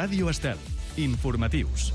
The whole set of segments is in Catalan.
Ràdio Estel. Informatius.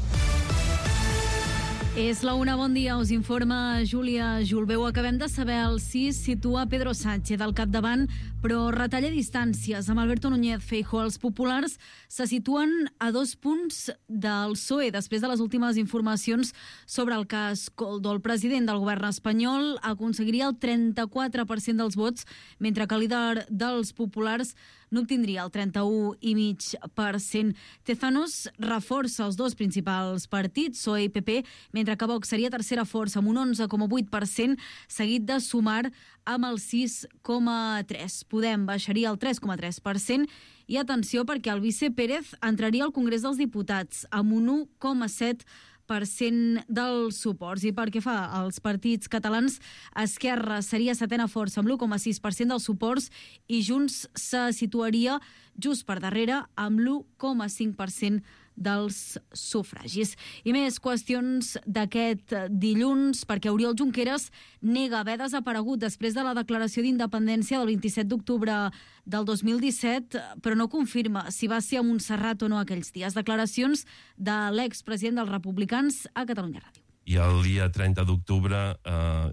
És la una, bon dia, us informa Júlia Julbeu. Acabem de saber el sí situa Pedro Sánchez al capdavant, però retalla distàncies amb Alberto Núñez Feijóo. Els populars se situen a 2 punts del PSOE després de les últimes informacions sobre el cas Koldo. El president del govern espanyol aconseguiria el 34% dels vots, mentre que el líder dels populars n'obtindria el 31,5%. Tezanos reforça els dos principals partits, PSOE i PP, mentre que Vox seria tercera força amb un 11,8%, seguit de Sumar amb el 6,3%. Podem baixaria el 3,3%. I atenció, perquè el vice Pérez entraria al Congrés dels Diputats amb un 1,7% dels suports. I pel que fa als partits catalans, Esquerra seria setena força amb l'1,6% dels suports i Junts se situaria just per darrere amb l'1,5% dels sufragis. I més qüestions d'aquest dilluns, perquè Oriol Junqueras nega haver desaparegut després de la declaració d'independència del 27 d'octubre del 2017, però no confirma si va ser a Montserrat o no aquells dies. Declaracions de l'expresident dels Republicans a Catalunya Ràdio. I el dia 30 d'octubre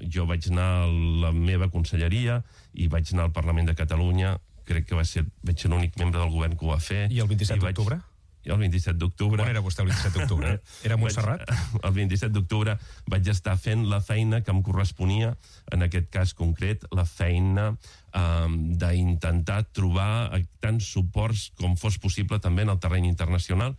jo vaig anar a la meva conselleria i vaig anar al Parlament de Catalunya. Crec que vaig ser l'únic membre del govern que ho va fer. I el 27 d'octubre? I el 27 d'octubre... On era vostè el 27 d'octubre? Era a Montserrat? El 27 d'octubre vaig estar fent la feina que em corresponia, en aquest cas concret, la feina d'intentar trobar tants suports com fos possible també en el terreny internacional.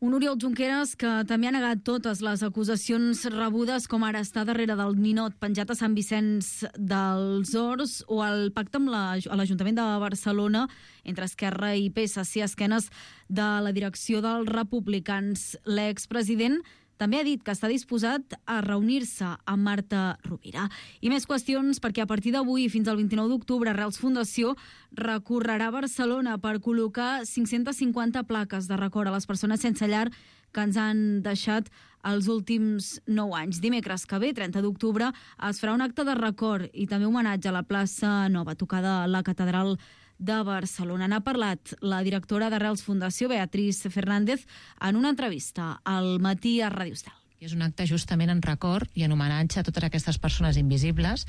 Un Oriol Junqueras que també ha negat totes les acusacions rebudes, com ara està darrere del ninot penjat a Sant Vicenç dels Horts o el pacte amb l'Ajuntament de Barcelona entre Esquerra i PSC a esquenes de la direcció dels republicans. L'expresident també ha dit que està disposat a reunir-se amb Marta Rovira. I més qüestions, perquè a partir d'avui fins al 29 d'octubre Arrels Fundació recorrerà a Barcelona per col·locar 550 plaques de record a les persones sense llar que ens han deixat els últims 9 anys. Dimecres que ve, 30 d'octubre, es farà un acte de record i també homenatge a la plaça Nova, tocada a la Catedral de Barcelona. N'ha parlat la directora d'Arrels Fundació, Beatriz Fernández, en una entrevista al Matí a Ràdio Estel. És un acte justament en record i en homenatge a totes aquestes persones invisibles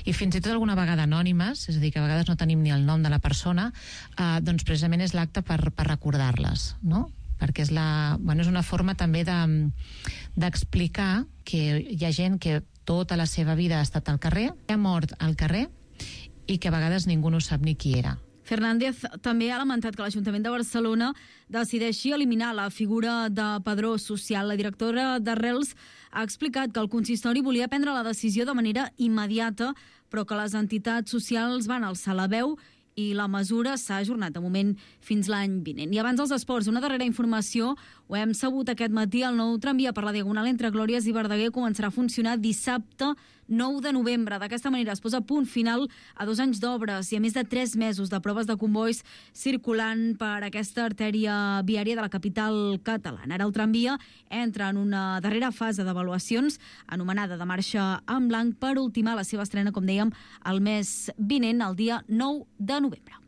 i fins i tot alguna vegada anònimes, és a dir, que a vegades no tenim ni el nom de la persona, doncs precisament és l'acte per recordar-les, no? Perquè és una forma també d'explicar que hi ha gent que tota la seva vida ha estat al carrer, ha mort al carrer i que a vegades ningú no sap ni qui era. Fernández també ha lamentat que l'Ajuntament de Barcelona decideixi eliminar la figura de padró social. La directora d'Arrels ha explicat que el consistori volia prendre la decisió de manera immediata, però que les entitats socials van alçar la veu i la mesura s'ha ajornat de moment fins l'any vinent. I abans dels esports, una darrera informació, ho hem sabut aquest matí, el nou tramvia per la Diagonal entre Glòries i Verdaguer començarà a funcionar dissabte 9 de novembre. D'aquesta manera es posa punt final a 2 anys d'obres i a més de 3 mesos de proves de convois circulant per aquesta artèria viària de la capital catalana. Ara el tramvia entra en una darrera fase d'avaluacions anomenada de marxa en blanc per ultimar la seva estrena, com dèiem, el mes vinent, el dia 9 de novembre.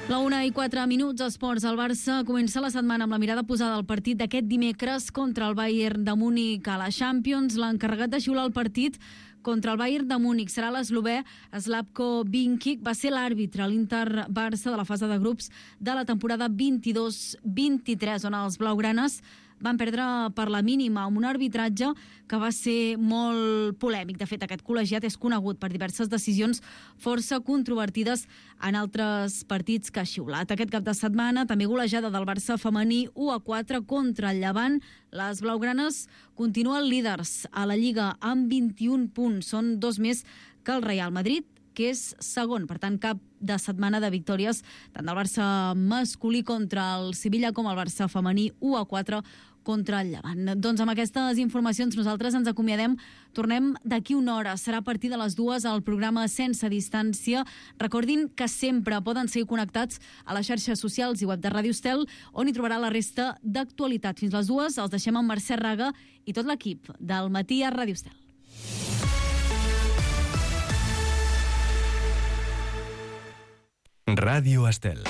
La 1:04, esports. El Barça comença la setmana amb la mirada posada al partit d'aquest dimecres contra el Bayern de Múnich a la Champions. L'encarregat de xiular el partit contra el Bayern de Múnich serà l'eslovè Slavko Vinkic. Va ser l'àrbitre a l'Inter-Barça de la fase de grups de la temporada 22-23, on els blaugranes van perdre per la mínima amb un arbitratge que va ser molt polèmic. De fet, aquest col·legiat és conegut per diverses decisions força controvertides en altres partits que ha xiulat. Aquest cap de setmana també golejada del Barça femení 1-4 contra el Llevant. Les blaugranes continuen líders a la Lliga amb 21 punts. Són 2 més que el Real Madrid, que és segon. Per tant, cap de setmana de victòries tant del Barça masculí contra el Sevilla com el Barça femení 1-4 contra el Llevant. Doncs amb aquestes informacions nosaltres ens acomiadem. Tornem d'aquí una hora. Serà a partir de les 2 al programa Sense Distància. Recordin que sempre poden seguir connectats a les xarxes socials i web de Ràdio Estel, on hi trobarà la resta d'actualitat. Fins les 2 els deixem amb Mercè Raga i tot l'equip del Matí a Ràdio Estel. Ràdio Estel.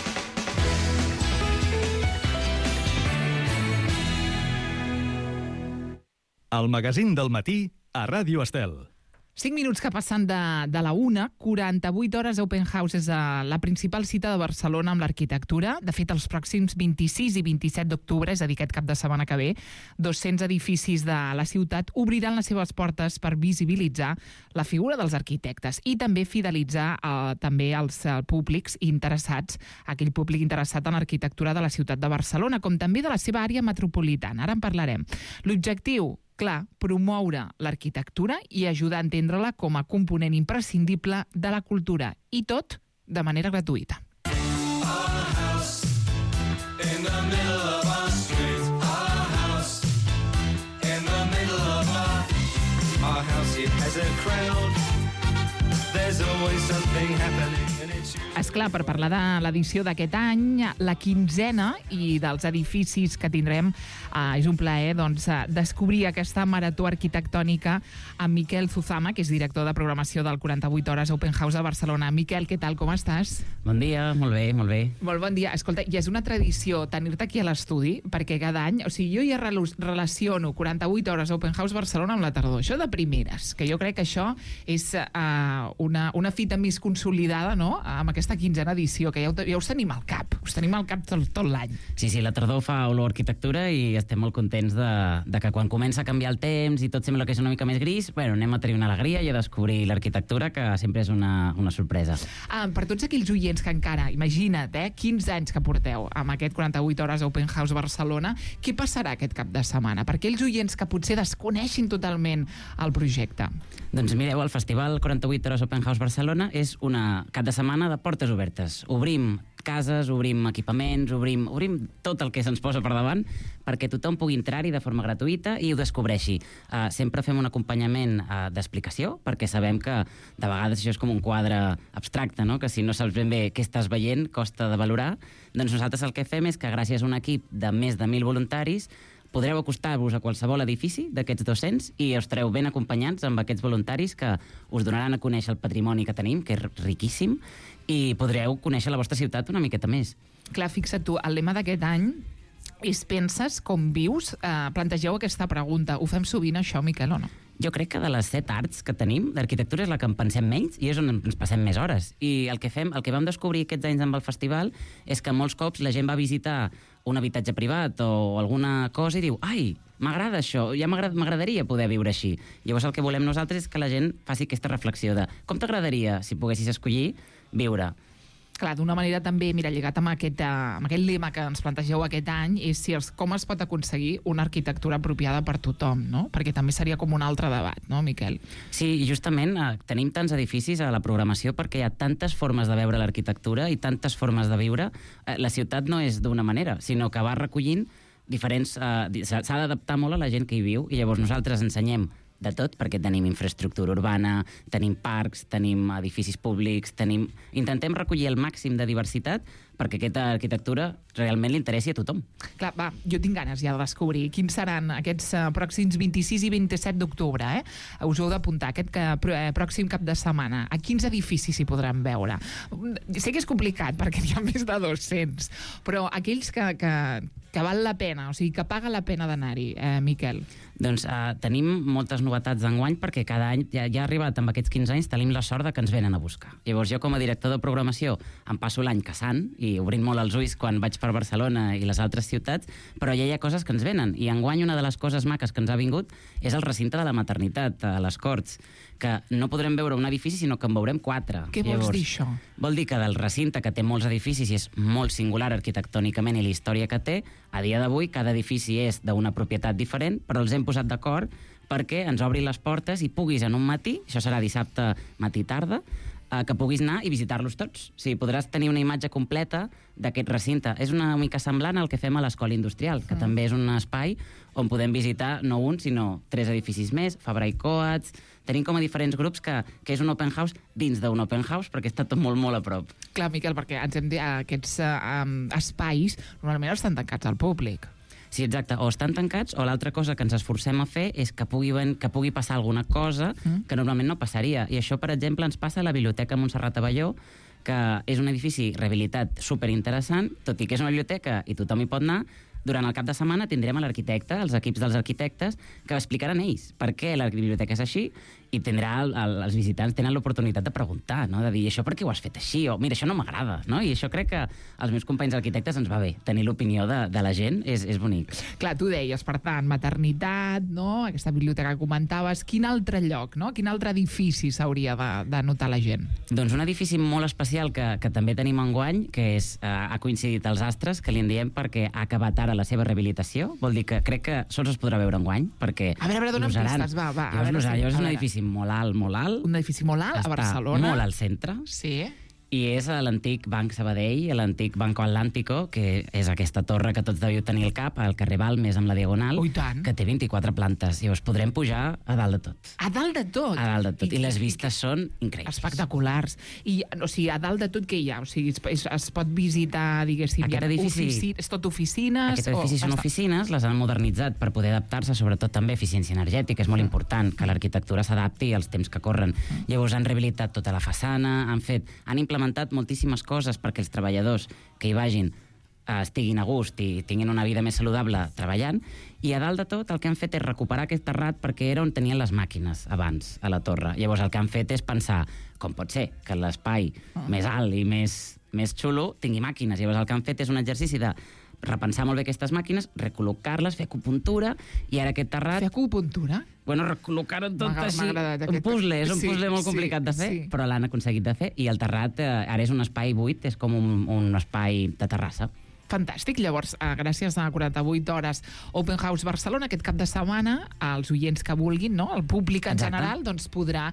El magazín del matí a Ràdio Estel. 5 minuts que passen de la 1, 48 hores Open House és la principal cita de Barcelona amb l'arquitectura. De fet, els pròxims 26 i 27 d'octubre, és a dir, aquest cap de setmana que ve, 200 edificis de la ciutat obriran les seves portes per visibilitzar la figura dels arquitectes i també fidelitzar també els públics interessats, aquell públic interessat en l'arquitectura de la ciutat de Barcelona, com també de la seva àrea metropolitana. Ara en parlarem. L'objectiu, clar, promoure l'arquitectura i ajudar a entendre-la com a component imprescindible de la cultura. I tot de manera gratuïta. Esclar, per parlar de l'edició d'aquest any, la 15ena i dels edificis que tindrem, és un plaer descobrir aquesta marató arquitectònica amb Miquel Zuzama, que és director de programació del 48 Hores Open House de Barcelona. Miquel, què tal, com estàs? Bon dia, molt bé, molt bé. Molt bon dia. Escolta, ja és una tradició tenir-te aquí a l'estudi, perquè cada any, o sigui, jo ja relaciono 48 Hores Open House Barcelona amb la tardor. Això de primeres, que jo crec que això és una fita més consolidada, no?, amb aquesta 15ena edició, que ja us tenim al cap. Us tenim al cap tot l'any. Sí, la tardor fa olor a arquitectura i estem molt contents de que quan comença a canviar el temps i tot sembla que és una mica més gris, bueno, anem a tenir una alegria i a descobrir l'arquitectura, que sempre és una sorpresa. Per tots aquells oients que encara, imagina't, 15 anys que porteu amb aquest 48 Hores Open House Barcelona, què passarà aquest cap de setmana? Per aquells oients que potser desconeixin totalment el projecte. Doncs mireu, el Festival 48 Hores Open House Barcelona és una cap de setmana de portes obertes. Obrim cases, obrim equipaments, obrim tot el que se'ns posa per davant perquè tothom pugui entrar-hi de forma gratuïta i ho descobreixi. Sempre fem un acompanyament d'explicació, perquè sabem que de vegades això és com un quadre abstracte, no?, que si no saps ben bé què estàs veient costa de valorar. Doncs nosaltres el que fem és que gràcies a un equip de més de 1.000 voluntaris podreu acostar-vos a qualsevol edifici d'aquests 200 i estareu ben acompanyats amb aquests voluntaris que us donaran a conèixer el patrimoni que tenim, que és riquíssim, i podreu conèixer la vostra ciutat una miqueta més. Clar, fixa't tu, el lema d'aquest any és penses com vius? Plantegeu aquesta pregunta. Ho fem sovint, això, Miquel, o no? Jo crec que de les 7 arts que tenim, l'arquitectura és la que en pensem menys i és on ens passem més hores. I el que vam descobrir aquests anys amb el festival és que molts cops la gent va visitar un habitatge privat o alguna cosa i diu, ai, m'agrada això, ja m'agradaria poder viure així. Llavors el que volem nosaltres és que la gent faci aquesta reflexió de com t'agradaria, si poguessis escollir, viure. Clar, d'una manera també, mira, lligat amb aquest lema que ens plantegeu aquest any, és com es pot aconseguir una arquitectura apropiada per tothom, no? Perquè també seria com un altre debat, no, Miquel? Sí, i justament tenim tants edificis a la programació perquè hi ha tantes formes de veure l'arquitectura i tantes formes de viure. La ciutat no és d'una manera, sinó que va recollint diferents... s'ha d'adaptar molt a la gent que hi viu i llavors nosaltres ensenyem de tot, perquè tenim infraestructura urbana, tenim parcs, tenim edificis públics, intentem recollir el màxim de diversitat perquè aquesta arquitectura realment li interessi a tothom. Clar, va, jo tinc ganes ja de descobrir quins seran aquests pròxims 26 i 27 d'octubre, Us heu d'apuntar aquest pròxim cap de setmana. A quins edificis s'hi podran veure? Sé que és complicat, perquè n'hi ha més de 200, però aquells que val la pena, o sigui, que paga la pena d'anar-hi, Miquel. Doncs tenim moltes novetats d'enguany perquè cada any, ja ha arribat amb aquests 15 anys, tenim la sort de que ens venen a buscar. Llavors jo com a director de programació em passo l'any caçant i obrint molt els ulls quan vaig per Barcelona i les altres ciutats, però ja hi ha coses que ens venen. I enguany una de les coses maques que ens ha vingut és el recinte de la maternitat, a les Corts, que no podrem veure un edifici, sinó que en veurem 4. Què vols dir, això? Vol dir que del recinte, que té molts edificis i és molt singular arquitectònicament i la història que té, a dia d'avui cada edifici és d'una propietat diferent, però els hem posat d'acord perquè ens obri les portes i puguis en un matí, això serà dissabte matí-tarda, que puguis anar i visitar-los tots. O sigui, podràs tenir una imatge completa d'aquest recinte. És una mica semblant al que fem a l'Escola Industrial, que també és un espai on podem visitar no un, sinó 3 edificis més, Fabra i Coats. Tenim com a diferents grups que és un open house dins d'un open house, perquè està tot molt, molt a prop. Clar, Miquel, perquè ens hem dit aquests espais normalment estan tancats al públic. Sí, exacte. O estan tancats, o l'altra cosa que ens esforcem a fer és que pugui passar alguna cosa que normalment no passaria. I això, per exemple, ens passa a la Biblioteca Montserrat Abelló, que és un edifici rehabilitat superinteressant, tot i que és una biblioteca i tothom hi pot anar, durant el cap de setmana tindrem a l'arquitecte, els equips dels arquitectes, que explicaran ells per què la biblioteca és així, i els visitants tenen l'oportunitat de preguntar, no? De dir, això per què ho has fet així? O, mira, això no m'agrada, no? I això crec que als meus companys arquitectes ens va bé. Tenir l'opinió de la gent és bonic. Clar, tu deies, per tant, maternitat, no? Aquesta biblioteca que comentaves. Quin altre lloc, no? Quin altre edifici s'hauria de notar la gent? Doncs un edifici molt especial que també tenim enguany, que ha coincidit els astres, que li en diem perquè ha acabat ara la seva rehabilitació. Vol dir que crec que sols es podrà veure enguany, perquè... A veure, dona'm pistes, va. Llavors és un edifici molt alt. Un edifici molt alt, a Barcelona. Està molt al centre. Sí. I és a l'antic Banc Sabadell, a l'antic Banco Atlántico, que és aquesta torre que tots deviu tenir al cap, al carrer Balmes, amb la Diagonal, que té 24 plantes. Llavors podrem pujar a dalt de tot. A dalt de tot? A dalt de tot. I les vistes són increïbles. Espectaculars. I, o sigui, a dalt de tot què hi ha? O sigui, es pot visitar, diguéssim, aquest edifici... És tot oficines? Aquest edifici són oficines, les han modernitzat per poder adaptar-se, sobretot també eficiència energètica. És molt important que l'arquitectura s'adapti als temps que corren. Llavors han rehabilitat tota la façana, han implementat moltíssimes coses perquè els treballadors que hi vagin estiguin a gust i tinguin una vida més saludable treballant, i a dalt de tot el que han fet és recuperar aquest terrat perquè era on tenien les màquines abans, a la torre. Llavors el que han fet és pensar, com pot ser que l'espai més alt i més xulo tingui màquines. Llavors el que han fet és un exercici de repensar molt bé aquestes màquines, recol·locar-les, fer acupuntura, i ara aquest terrat... Fer acupuntura? Bueno, recol·locar-ho tot així. Un puzzle, és un puzzle molt complicat de fer, però l'han aconseguit de fer, i el terrat ara és un espai buit, és com un espai de terrassa. Fantàstic. Llavors, gràcies a 48 hores Open House Barcelona, aquest cap de setmana, els oients que vulguin, no? El públic en general, doncs podrà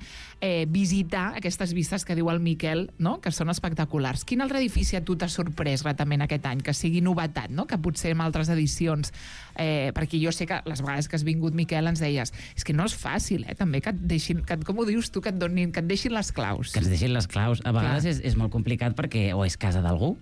visitar aquestes vistes que diu el Miquel, no? Que són espectaculars. Quin altre edifici a tu t'ha sorprès gratament aquest any, que sigui novetat, no? Que potser en altres edicions, perquè jo sé que les vegades que has vingut, Miquel, ens deies, és que no és fàcil, també, que et deixin, com ho dius tu, que et deixin les claus. Que ens deixin les claus. A vegades és molt complicat perquè o és casa d'algú,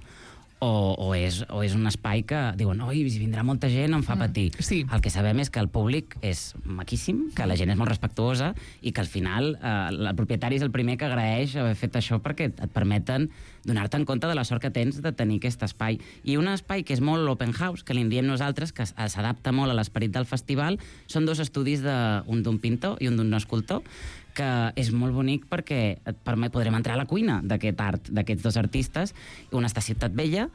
o és un espai que diuen, oi, si vindrà molta gent em fa patir. Sí. El que sabem és que el públic és maquíssim, que la gent és molt respectuosa i que al final el propietari és el primer que agraeix haver fet això perquè et permeten donar-te en compte de la sort que tens de tenir aquest espai. I un espai que és molt open house, que li en diem nosaltres, que s'adapta molt a l'esperit del festival, són dos estudis, un d'un pintor i un d'un escultor, que és molt bonic perquè podrem entrar a la cuina d'aquest art, d'aquests dos artistes. Un està a Ciutat Vella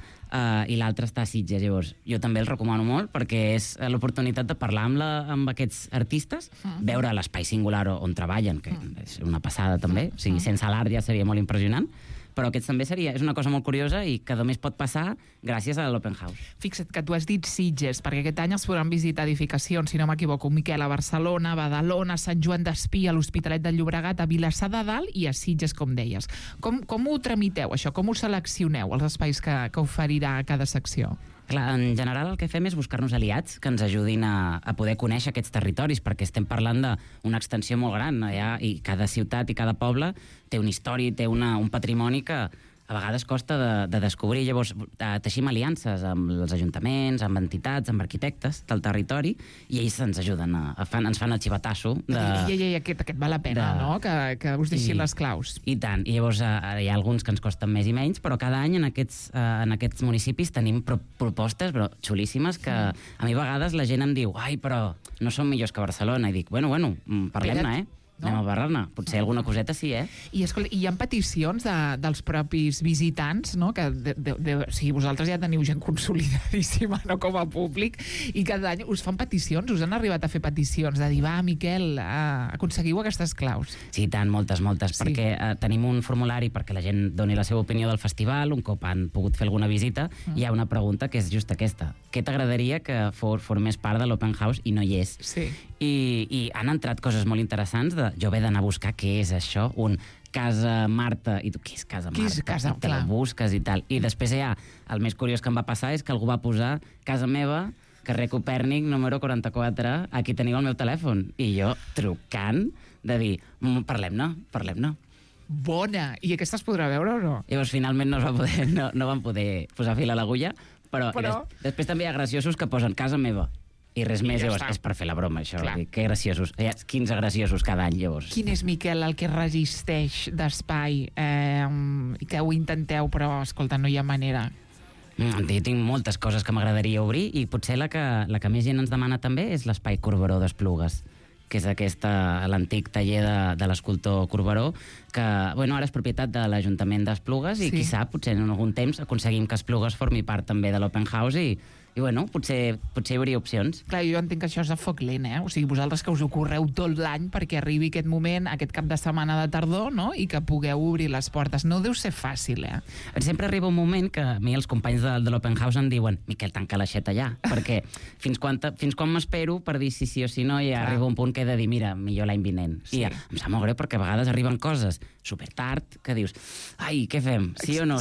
i l'altre està a Sitges. Llavors, jo també el recomano molt perquè és l'oportunitat de parlar amb aquests artistes, veure l'espai singular on treballen, que és una passada també, o sigui, sense l'art ja seria molt impressionant, però aquest també és una cosa molt curiosa i que només pot passar gràcies a l'Open House. Fixa't que tu has dit Sitges, perquè aquest any es podran visitar edificacions, si no m'equivoco, Miquel, a Barcelona, a Badalona, a Sant Joan d'Espí, a l'Hospitalet de Llobregat, a Vilassar de Dalt i a Sitges, com deies. Com ho tramiteu, això? Com ho seleccioneu, els espais que oferirà cada secció? Clar, en general el que fem és buscar-nos aliats que ens ajudin a poder conèixer aquests territoris, perquè estem parlant d'una extensió molt gran allà, i cada ciutat i cada poble té una història i té un patrimoni que a vegades costa de descobrir. Llavors teixim aliances amb els ajuntaments, amb entitats, amb arquitectes del territori, i ells ens ajuden, ens fan el xivatasso. Aquest val la pena, no? Que us deixin les claus. I tant. I llavors hi ha alguns que ens costen més i menys, però cada any en aquests municipis tenim propostes xulíssimes que a mi a vegades la gent em diu, ai, però no som millors que Barcelona. I dic, bueno, parlem-ne, anem a parlar-ne. Potser alguna coseta sí, I escolta, hi ha peticions dels propis visitants, no? Que o sigui, vosaltres ja teniu gent consolidadíssima, no, com a públic, i cada any us fan peticions, us han arribat a fer peticions, de dir, va, Miquel, aconseguiu aquestes claus. Sí, tant, moltes, perquè tenim un formulari perquè la gent doni la seva opinió del festival, un cop han pogut fer alguna visita, hi ha una pregunta que és just aquesta. Què t'agradaria que formés part de l'Open House i no hi és? Sí. I han entrat coses molt interessants jo haver d'anar a buscar què és això, Casa Marta, i tu, què és Casa Marta? Què és Casa Marta? Te la busques i tal. I després el més curiós que em va passar és que algú va posar casa meva, carrer Copèrnic, número 44, aquí teniu el meu telèfon. I jo, trucant, de dir, parlem-ne. Bona! I aquesta es podrà veure o no? Llavors, finalment no van poder posar fil a l'agulla, però... Després també hi ha graciosos que posen casa meva. I res més, llavors, és per fer la broma, això. Que graciosos. Hi ha 15 graciosos cada any, llavors. Quin és, Miquel, el que resisteix d'espai i que ho intenteu, però, escolta, no hi ha manera? Jo tinc moltes coses que m'agradaria obrir i potser la que més gent ens demana també és l'Espai Corberó d'Esplugues, que és l'antic taller de l'escultor Corberó, que ara és propietat de l'Ajuntament d'Esplugues i qui sap, potser en algun temps aconseguim que Esplugues formi part també de l'Open House i potser hi hauria opcions. Clar, jo entenc que això és a foc lent, O sigui, vosaltres que us ho correu tot l'any perquè arribi aquest moment, aquest cap de setmana de tardor, no?, i que pugueu obrir les portes. No deu ser fàcil, Sempre arriba un moment que a mi els companys de l'Open House em diuen Miquel, tanca l'aixeta ja, perquè fins quan m'espero per dir sí o sí no, i arriba un punt que he de dir, mira, millor l'any vinent. I em sap molt greu perquè a vegades arriben coses super tard que dius, ai, què fem? Sí o no?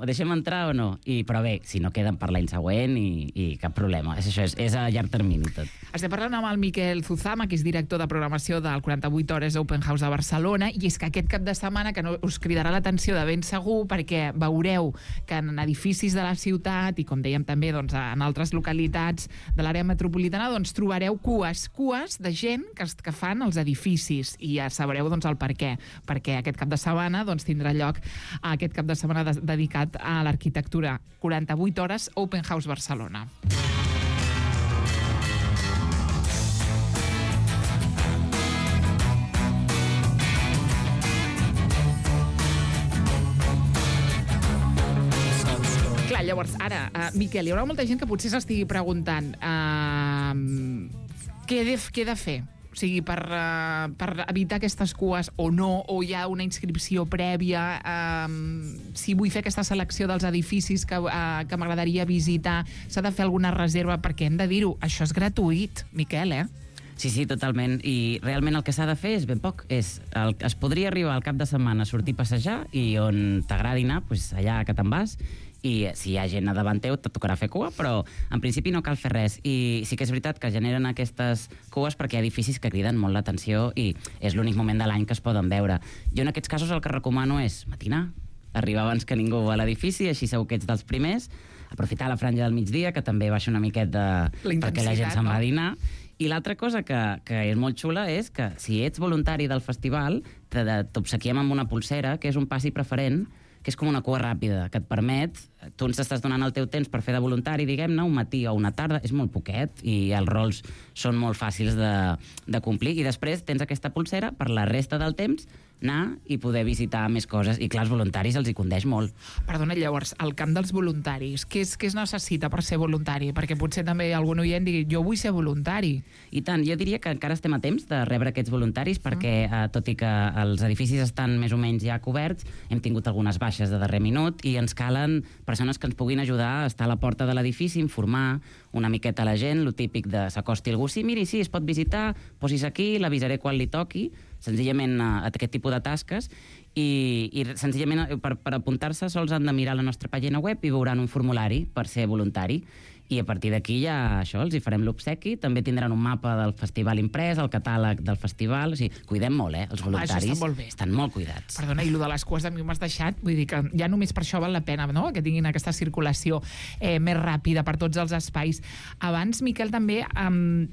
Deixem entrar o no? Però bé, si no queden per l'any següent i cap problema. És a llarg termini tot. Estem parlant amb el Miquel Zuzama, que és director de programació del 48 Hores Open House de Barcelona, i és que aquest cap de setmana que us cridarà l'atenció de ben segur perquè veureu que en edificis de la ciutat i, com dèiem també, en altres localitats de l'àrea metropolitana, trobareu cues de gent que fan els edificis i ja sabreu el per què. Perquè aquest cap de setmana tindrà lloc aquest cap de setmana dedicat a l'arquitectura. 48 Hores Open House Barcelona. Clar, llavors, ara, Miquel, hi haurà molta gent que potser s'estigui preguntant què he de fer? O sigui, per evitar aquestes cues o no, o hi ha una inscripció prèvia, si vull fer aquesta selecció dels edificis que m'agradaria visitar, s'ha de fer alguna reserva, perquè hem de dir-ho, això és gratuït, Miquel, Sí, totalment. I realment el que s'ha de fer és ben poc. Es podria arribar al cap de setmana a sortir a passejar i on t'agradi anar, allà que te'n vas, i si hi ha gent a davant teu te tocarà fer cua, però en principi no cal fer res. I sí que és veritat que generen aquestes cues perquè hi ha edificis que criden molt l'atenció i és l'únic moment de l'any que es poden veure. Jo en aquests casos el que recomano és matinar, arribar abans que ningú a l'edifici, així segur que ets dels primers, aprofitar la franja del migdia, que també baixa una miqueta perquè la gent se'n va a dinar. I l'altra cosa que és molt xula és que si ets voluntari del festival t'obsequiem amb una pulsera, que és un passi preferent, que és com una cua ràpida, que et permet, tu ens estàs donant el teu temps per fer de voluntari, diguem-ne, un matí o una tarda, és molt poquet, i els rols són molt fàcils de complir, i després tens aquesta pulsera per la resta del temps anar i poder visitar més coses. I clar, els voluntaris els hi condeix molt. Perdona, llavors, el camp dels voluntaris, què es necessita per ser voluntari? Perquè potser també algun oient digui, jo vull ser voluntari. I tant, jo diria que encara estem a temps de rebre aquests voluntaris perquè, tot i que els edificis estan més o menys ja coberts, hem tingut algunes baixes de darrer minut i ens calen persones que ens puguin ajudar a estar a la porta de l'edifici, informar una miqueta a la gent, lo típic de s'acosti algú, sí, miri, sí, es pot visitar, posis aquí, l'avisaré quan li toqui, senzillament a aquest tipus de tasques, i senzillament per apuntar-se sols han de mirar la nostra pàgina web i veuran un formulari per ser voluntari. I a partir d'aquí ja els hi farem l'obsequi, també tindran un mapa del festival imprès, el catàleg del festival, o sigui, cuidem molt, els voluntaris estan molt cuidats. Perdona, i el de les cues a mi m'has deixat, vull dir que ja només per això val la pena, no?, que tinguin aquesta circulació més ràpida per tots els espais. Abans, Miquel, també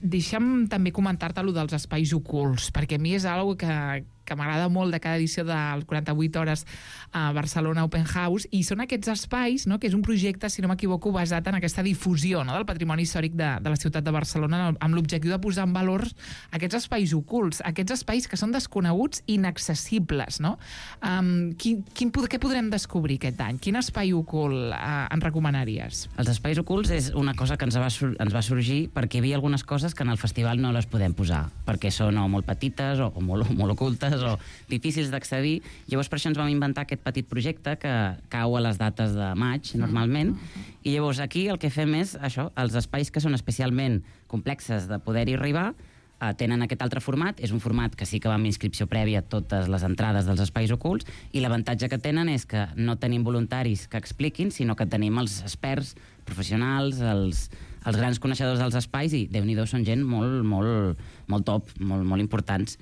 deixa'm també comentar-te allò dels espais ocults, perquè a mi és una cosa que m'agrada molt de cada edició del 48 Hores a Barcelona Open House, i són aquests espais, no?, que és un projecte, si no m'equivoco, basat en aquesta difusió, no?, del patrimoni històric de la ciutat de Barcelona, amb l'objectiu de posar en valor aquests espais ocults, aquests espais que són desconeguts i inaccessibles, no? Què podrem descobrir aquest any? Quin espai ocult ens recomanaries? Els espais ocults és una cosa que ens va sorgir perquè hi havia algunes coses que en el festival no les podem posar, perquè són o molt petites o molt ocultes o difícils d'accedir. Llavors per això ens vam inventar aquest petit projecte que cau a les dates de maig normalment, i llavors aquí el que fem és això, els espais que són especialment complexes de poder-hi arribar tenen aquest altre format, és un format que sí que va amb inscripció prèvia a totes les entrades dels espais ocults, i l'avantatge que tenen és que no tenim voluntaris que expliquin, sinó que tenim els experts professionals, els grans coneixedors dels espais, i Déu-n'hi-do, són gent molt top, molt importants.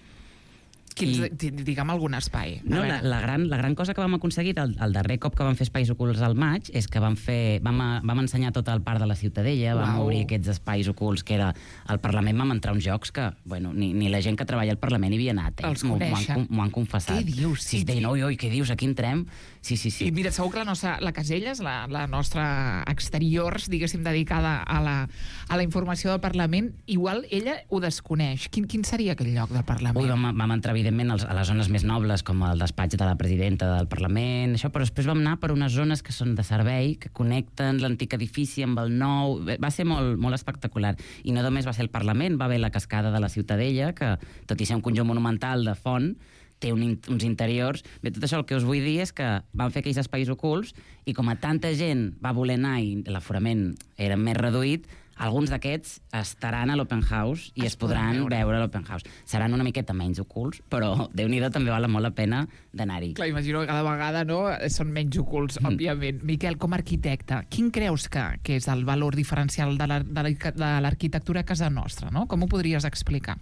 Digue'm algun espai. No, la gran cosa que vam aconseguir el darrer cop que vam fer espais ocults al maig és que vam ensenyar tot el parc de la Ciutadella, vam obrir aquests espais ocults que era al Parlament, vam entrar uns jocs que ni la gent que treballa al Parlament hi havia anat. Els coneixen. M'ho han confessat. Què dius? Sí, deien, oi, què dius, aquí entrem? Sí. I mira, segur que la Caselles, la nostra exteriors, diguéssim, dedicada a la informació del Parlament, igual ella ho desconeix. Quin seria aquell lloc del Parlament? Ui, vam entrar, evidentment, a les zones més nobles, com el despatx de la presidenta del Parlament, això, però després vam anar per unes zones que són de servei, que connecten l'antic edifici amb el nou. Va ser molt, molt espectacular. I no només va ser el Parlament, va haver la cascada de la Ciutadella, que, tot i ser un conjunt monumental de font, té uns interiors. Bé, tot això el que us vull dir és que van fer aquells espais ocults i com a tanta gent va voler anar i l'aforament era més reduït, alguns d'aquests estaran a l'Open House i es podran veure a l'Open House. Seran una miqueta menys ocults, però Déu-n'hi-do, també val molt la pena d'anar-hi. Clar, imagino que cada vegada són menys ocults, òbviament. Miquel, com a arquitecte, quin creus que és el valor diferencial de l'arquitectura a casa nostra? No? Com ho podries explicar?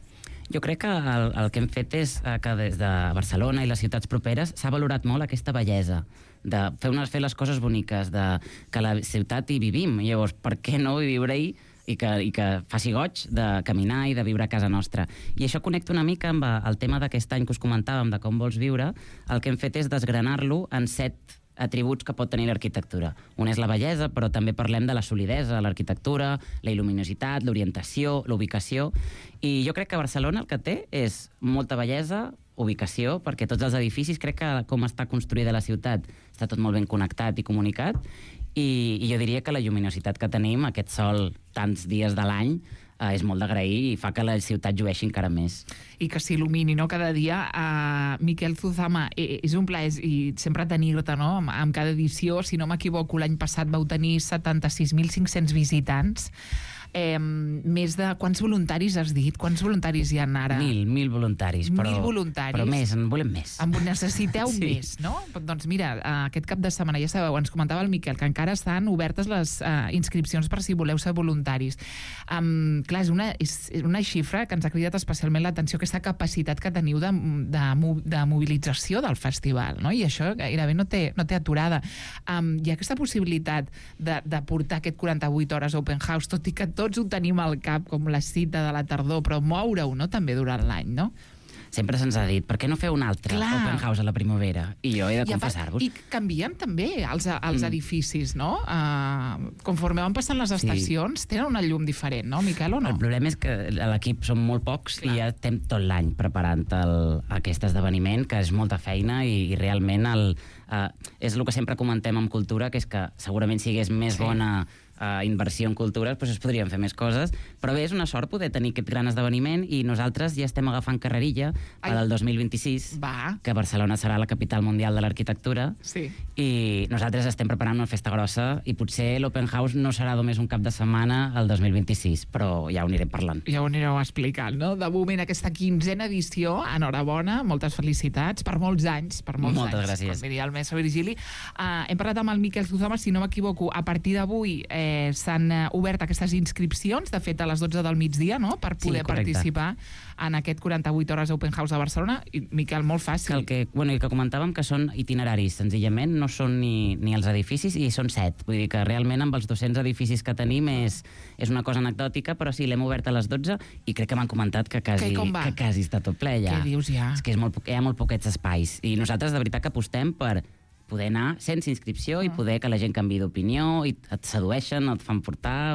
Jo crec que el que hem fet és que des de Barcelona i les ciutats properes s'ha valorat molt aquesta bellesa de fer les coses boniques, que a la ciutat hi vivim. Llavors, per què no viure-hi i que faci goig de caminar i de viure a casa nostra? I això connecta una mica amb el tema d'aquest any que us comentàvem, de com vols viure. El que hem fet és desgranar-lo en 7 atributs que pot tenir l'arquitectura. Un és la bellesa, però també parlem de la solidesa, l'arquitectura, la il·luminositat, l'orientació, l'ubicació. I jo crec que Barcelona el que té és molta bellesa, ubicació, perquè tots els edificis, crec que com està construïda la ciutat, està tot molt ben connectat i comunicat, i jo diria que la lluminositat que tenim, aquest sol tants dies de l'any, és molt d'agrair i fa que la ciutat llueixi encara més. I que s'il·lumini, no?, cada dia. Miquel Zuzama, és un plaer i sempre tenir-te, no?, amb cada edició. Si no m'equivoco, l'any passat vau tenir 76.500 visitants. Més de... Quants voluntaris has dit? Quants voluntaris hi ha ara? 1.000 voluntaris. 1.000 voluntaris. Però més, en volem més. En necessiteu més, no? Doncs mira, aquest cap de setmana, ja sabeu, ens comentava el Miquel que encara estan obertes les inscripcions per si voleu ser voluntaris. Clar, és una xifra que ens ha cridat especialment l'atenció, aquesta capacitat que teniu de mobilització del festival, no? I això gairebé no té aturada. Hi ha aquesta possibilitat de portar aquest 48 hores Open House, tot i que tots ho tenim al cap, com la cita de la tardor, però moure-ho, no?, també durant l'any, no? Sempre se'ns ha dit, per què no fer un altre Open House a la primavera? I jo he de confessar-vos. I canvien també els edificis, no? Conforme van passant les estacions, tenen una llum diferent, no, Miquel, o no? El problema és que a l'equip som molt pocs i ja estem tot l'any preparant aquest esdeveniment, que és molta feina i realment és el que sempre comentem en cultura, que és que segurament si hagués més bona inversió en cultura, doncs es podrien fer més coses, però bé, és una sort poder tenir aquest gran esdeveniment i nosaltres ja estem agafant carrerilla per al 2026, que Barcelona serà la capital mundial de l'arquitectura, i nosaltres estem preparant una festa grossa i potser l'Open House no serà només un cap de setmana el 2026, però ja ho anirem parlant. Ja ho anireu explicant, no? De moment, aquesta 15a edició, enhorabona, moltes felicitats, per molts anys, Moltes gràcies. Com diria el mestre Virgili. Hem parlat amb el Miquel Zuzama, si no m'equivoco, a partir d'avui s'han obert aquestes inscripcions, de fet a les 12 del migdia, no?, per poder participar en aquest 48 hores Open House de Barcelona. I, Miquel, molt fàcil. El que comentàvem, que són itineraris, senzillament, no són ni els edificis, i són 7. Vull dir que realment amb els 200 edificis que tenim és una cosa anecdòtica, però sí, l'hem obert a les 12 i crec que m'han comentat que quasi està tot ple ja. Què dius ja? És que hi ha molt poquets espais. I nosaltres de veritat que apostem per poder anar sense inscripció i poder que la gent canviï d'opinió i et sedueixen, et fan portar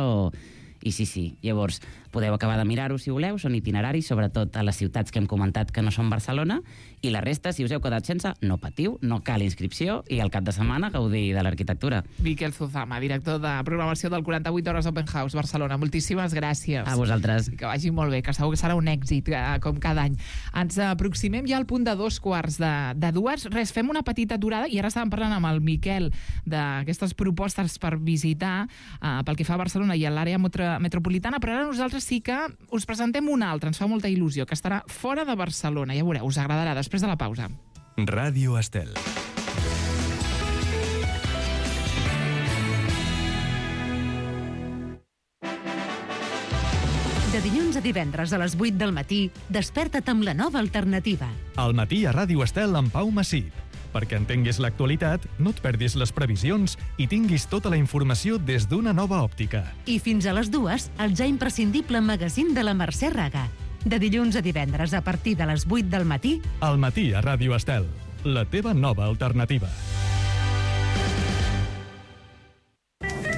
I sí. Llavors, podeu acabar de mirar-ho si voleu, són itineraris, sobretot a les ciutats que hem comentat que no són Barcelona, i la resta, si us heu quedat sense, no patiu, no cal inscripció, i al cap de setmana gaudir de l'arquitectura. Miquel Zuzama, director de programació del 48 Hores Open House Barcelona. Moltíssimes gràcies. A vosaltres. Que vagi molt bé, que segur que serà un èxit, com cada any. Ens aproximem ja al punt de 2:45. Res, fem una petita aturada, i ara estàvem parlant amb el Miquel d'aquestes propostes per visitar pel que fa a Barcelona i a l'àrea metropolitana, però ara nosaltres sí que us presentem una altra, ens fa molta il·lusió, que estarà fora de Barcelona. Ja veureu, us agradarà, després de la pausa. Ràdio Estel. De dilluns dilluns a divendres a les 8 del matí, desperta't amb la nova alternativa. Al matí a Ràdio Estel amb Pau Massip. Perquè entenguis l'actualitat, no et perdis les previsions i tinguis tota la informació des d'una nova òptica. I fins a les 2, el ja imprescindible magazín de la Mercè Raga. De dilluns a divendres a partir de les 8 del matí. Al matí a Ràdio Estel, la teva nova alternativa.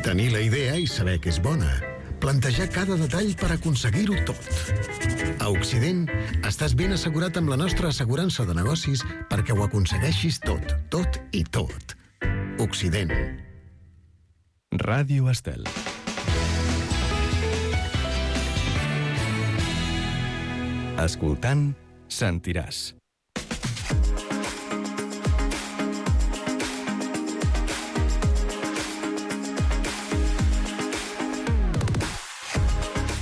Tenir la idea i saber que és bona. Plantejar cada detall per aconseguir-ho tot. A Occident, estàs ben assegurat amb la nostra assegurança de negocis perquè ho aconsegueixis tot, tot i tot. Occident. Ràdio Estel. Escoltant, sentiràs.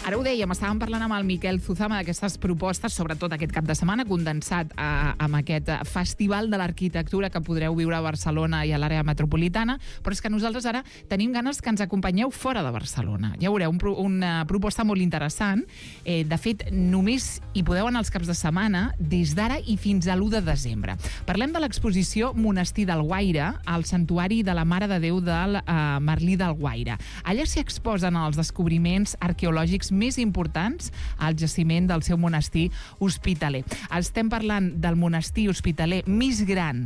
Ara ho dèiem, estàvem parlant amb el Miquel Zuzama d'aquestes propostes, sobretot aquest cap de setmana, condensat amb aquest festival de l'arquitectura que podreu viure a Barcelona i a l'àrea metropolitana, però és que nosaltres ara tenim ganes que ens acompanyeu fora de Barcelona. Ja veureu, una proposta molt interessant. De fet, només hi podeu anar els caps de setmana des d'ara i fins a l'1 de desembre. Parlem de l'exposició Monestir del Guaire, al Santuari de la Mare de Déu del Merlí del Guaire. Allà s'hi exposen els descobriments arqueològics més importants al jaciment del seu monestir hospitaler. Estem parlant del monestir hospitaler més gran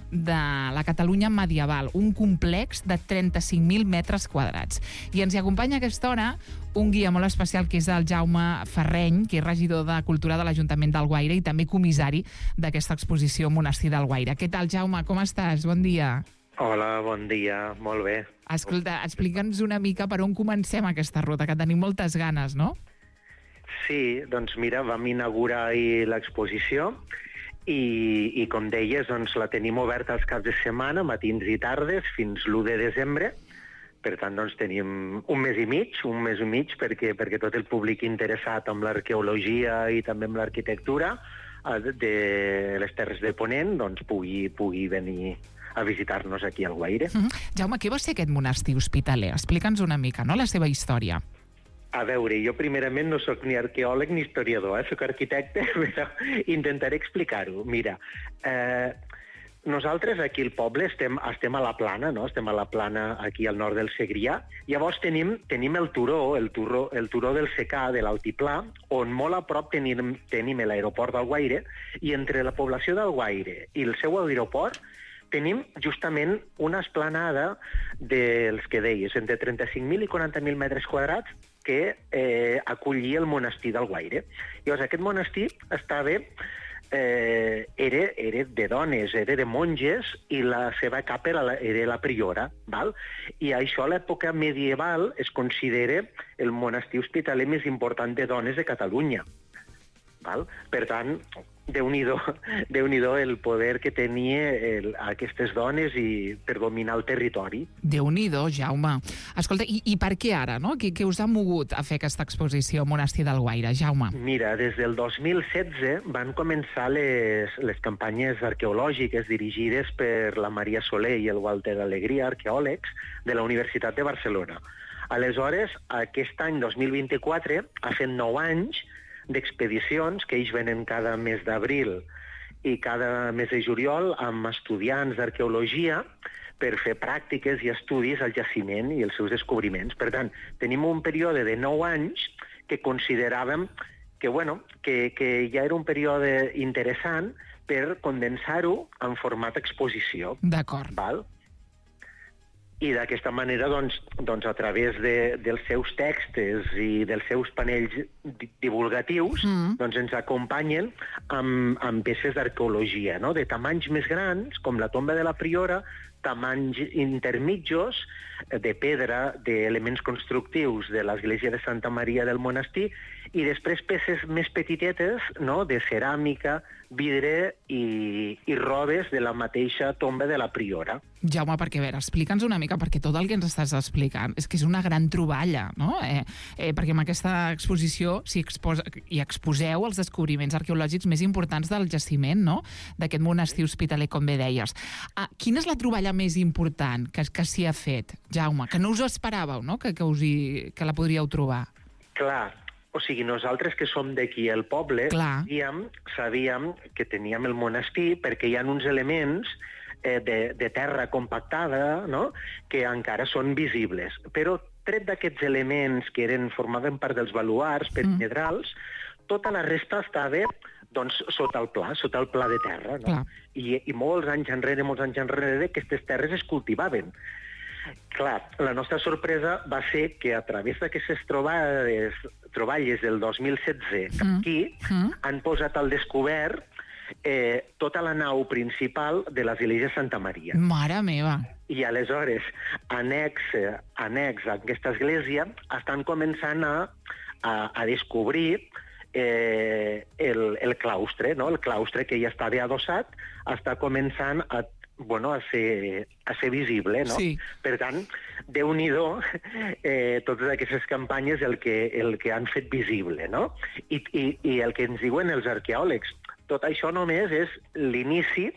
de la Catalunya medieval, un complex de 35.000 metres quadrats. I ens hi acompanya a aquesta hora un guia molt especial, que és el Jaume Ferreny, que és regidor de Cultura de l'Ajuntament del Guaire i també comissari d'aquesta exposició Monestir del Guaire. Què tal, Jaume? Com estàs? Bon dia. Hola, bon dia. Molt bé. Escolta, explica'ns una mica per on comencem aquesta ruta, que tenim moltes ganes, no? Sí, doncs mira, vam inaugurar ahir l'exposició i com deies, doncs la tenim oberta els caps de setmana, matins i tardes, fins l'1 de desembre. Per tant, doncs tenim un mes i mig, perquè tot el públic interessat en l'arqueologia i també en l'arquitectura de les Terres de Ponent doncs pugui venir a visitar-nos aquí al Guaire. Jaume, què va ser aquest monestir hospitaler? Explica'ns una mica, no?, la seva història. A veure, jo primerament no sóc ni arqueòleg ni historiador, sóc arquitecte, però intentaré explicar-ho. Mira, nosaltres aquí al poble estem a la Plana, no? Estem a la Plana aquí al nord del Segrià. Llavors tenim el turó del Secà, de l'Altiplà, on molt a prop tenim l'aeroport del Guaire, i entre la població del Guaire i el seu aeroport tenim justament una esplanada dels que deies, entre 35.000 i 40.000 metres quadrats, que acollia el monestir del Guaire. Llavors, aquest monestir estava... era de dones, era de monges, i la seva capa era la priora, val? I això a l'època medieval es considera el monestir hospitaler més important de dones de Catalunya. Val? Per tant, Déu-n'hi-do el poder que tenia aquestes dones per dominar el territori. Déu-n'hi-do, Jaume. Escolta, i per què ara, no? Què us ha mogut a fer aquesta exposició Monestir del Guaire, Jaume? Mira, des del 2016 van començar les campanyes arqueològiques dirigides per la Maria Soler i el Walter Alegria, arqueòlegs de la Universitat de Barcelona. Aleshores, aquest any 2024 ha fet 9 anys d'expedicions que ells venen cada mes d'abril i cada mes de juliol amb estudiants d'arqueologia per fer pràctiques i estudis al jaciment i els seus descobriments. Per tant, tenim un període de 9 anys que consideràvem que ja era un període interessant per condensar-ho en format exposició. D'acord. Val? I d'aquesta manera, doncs, a través dels seus textos i dels seus panells divulgatius, doncs ens acompanyen amb peces d'arqueologia, no? De tamanys més grans, com la tomba de la Priora, tamanys intermitjos, de pedra, d'elements constructius de l'església de Santa Maria del Monestir, i després peces més petitetes, no?, de ceràmica, vidre i robes de la mateixa tomba de la Priora. Jaume, perquè a veure, explica'ns una mica, perquè tot el que ens estàs explicant és que és una gran troballa, no? Perquè en aquesta exposició hi exposeu els descobriments arqueològics més importants del jaciment, no?, d'aquest monestir hospitaler, com bé deies. Quina és la troballa més important que s'hi ha fet, Jaume? Que no us ho esperàveu, no?, que la podríeu trobar. Clar, O sigui, nosaltres que som d'aquí al poble, sabíem que teníem el monestir perquè hi ha uns elements de terra compactada, no?, que encara són visibles. Però tret d'aquests elements que formaven part dels baluars perimetrals, tota la resta estava sota el pla de terra. No? I molts anys enrere, aquestes terres es cultivaven. Clar, la nostra sorpresa va ser que a través d'aquestes troballes del 2016 aquí han posat al descobert tota la nau principal de l'església de Santa Maria. Mare meva! I aleshores, annex a aquesta església, estan començant a descobrir el claustre, no? El claustre que ja estava adossat està començant a ser visible, no? Sí. Per tant, Déu-n'hi-do totes aquestes campanyes el que han fet visible, no? I el que ens diuen els arqueòlegs, tot això només és l'inici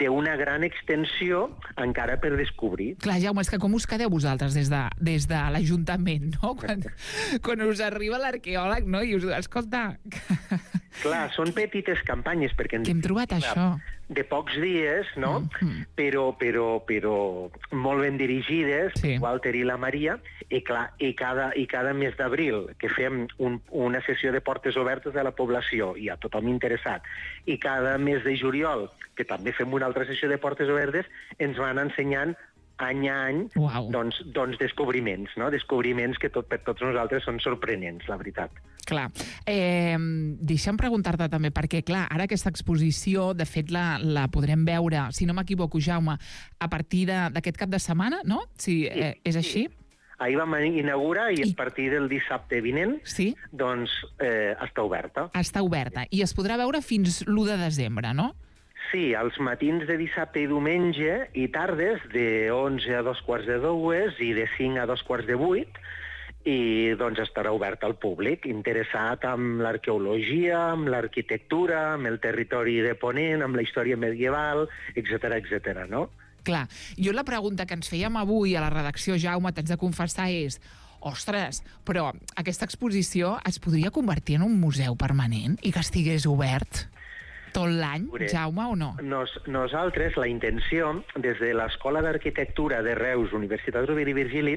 d'una gran extensió encara per descobrir. Clar, Jaume, és que com us quedeu vosaltres des de l'Ajuntament, no? Quan us arriba l'arqueòleg, no? I us diu, escolta... Clar, són petites campanyes, perquè... Que hem trobat això. De pocs dies, no? Però molt ben dirigides, Walter i la Maria, i cada mes d'abril que fem una sessió de portes obertes a la població i a tothom interessat, i cada mes de juliol, que també fem una altra sessió de portes obertes, ens van ensenyant any a any descobriments, no? Descobriments que per tots nosaltres són sorprenents, la veritat. Clar. Deixa'm preguntar-te també, perquè, clar, ara aquesta exposició, de fet, la podrem veure, si no m'equivoco, Jaume, a partir d'aquest cap de setmana, no? Si és així? Ahir vam inaugurar i a partir del dissabte vinent, doncs, està oberta. Està oberta. I es podrà veure fins l'1 de desembre, no? Sí, als matins de dissabte i diumenge i tardes de 11 a 2:45 i de 5 a 2:45, i doncs estarà obert al públic, interessat amb l'arqueologia, amb l'arquitectura, amb el territori de Ponent, amb la història medieval, etc., no? Clar, jo la pregunta que ens fèiem avui a la redacció, Jaume, t'haig de confessar, és ostres, però aquesta exposició es podria convertir en un museu permanent i que estigués obert tot l'any, Jaume, o no? Nosaltres, la intenció, des de l'Escola d'Arquitectura de Reus, Universitat Rovira i Virgili,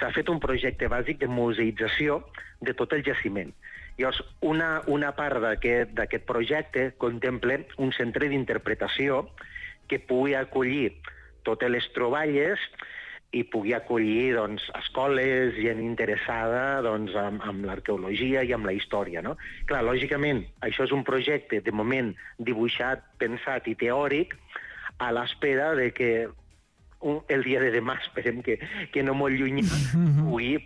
s'ha fet un projecte bàsic de museïtzació de tot el jaciment. Llavors, una part d'aquest projecte contempla un centre d'interpretació que pugui acollir totes les troballes i pugui acollir escoles, gent interessada amb l'arqueologia i amb la història. No? Clar, lògicament, això és un projecte, de moment, dibuixat, pensat i teòric, a l'espera de que el dia de demà, esperem que no molt lluny,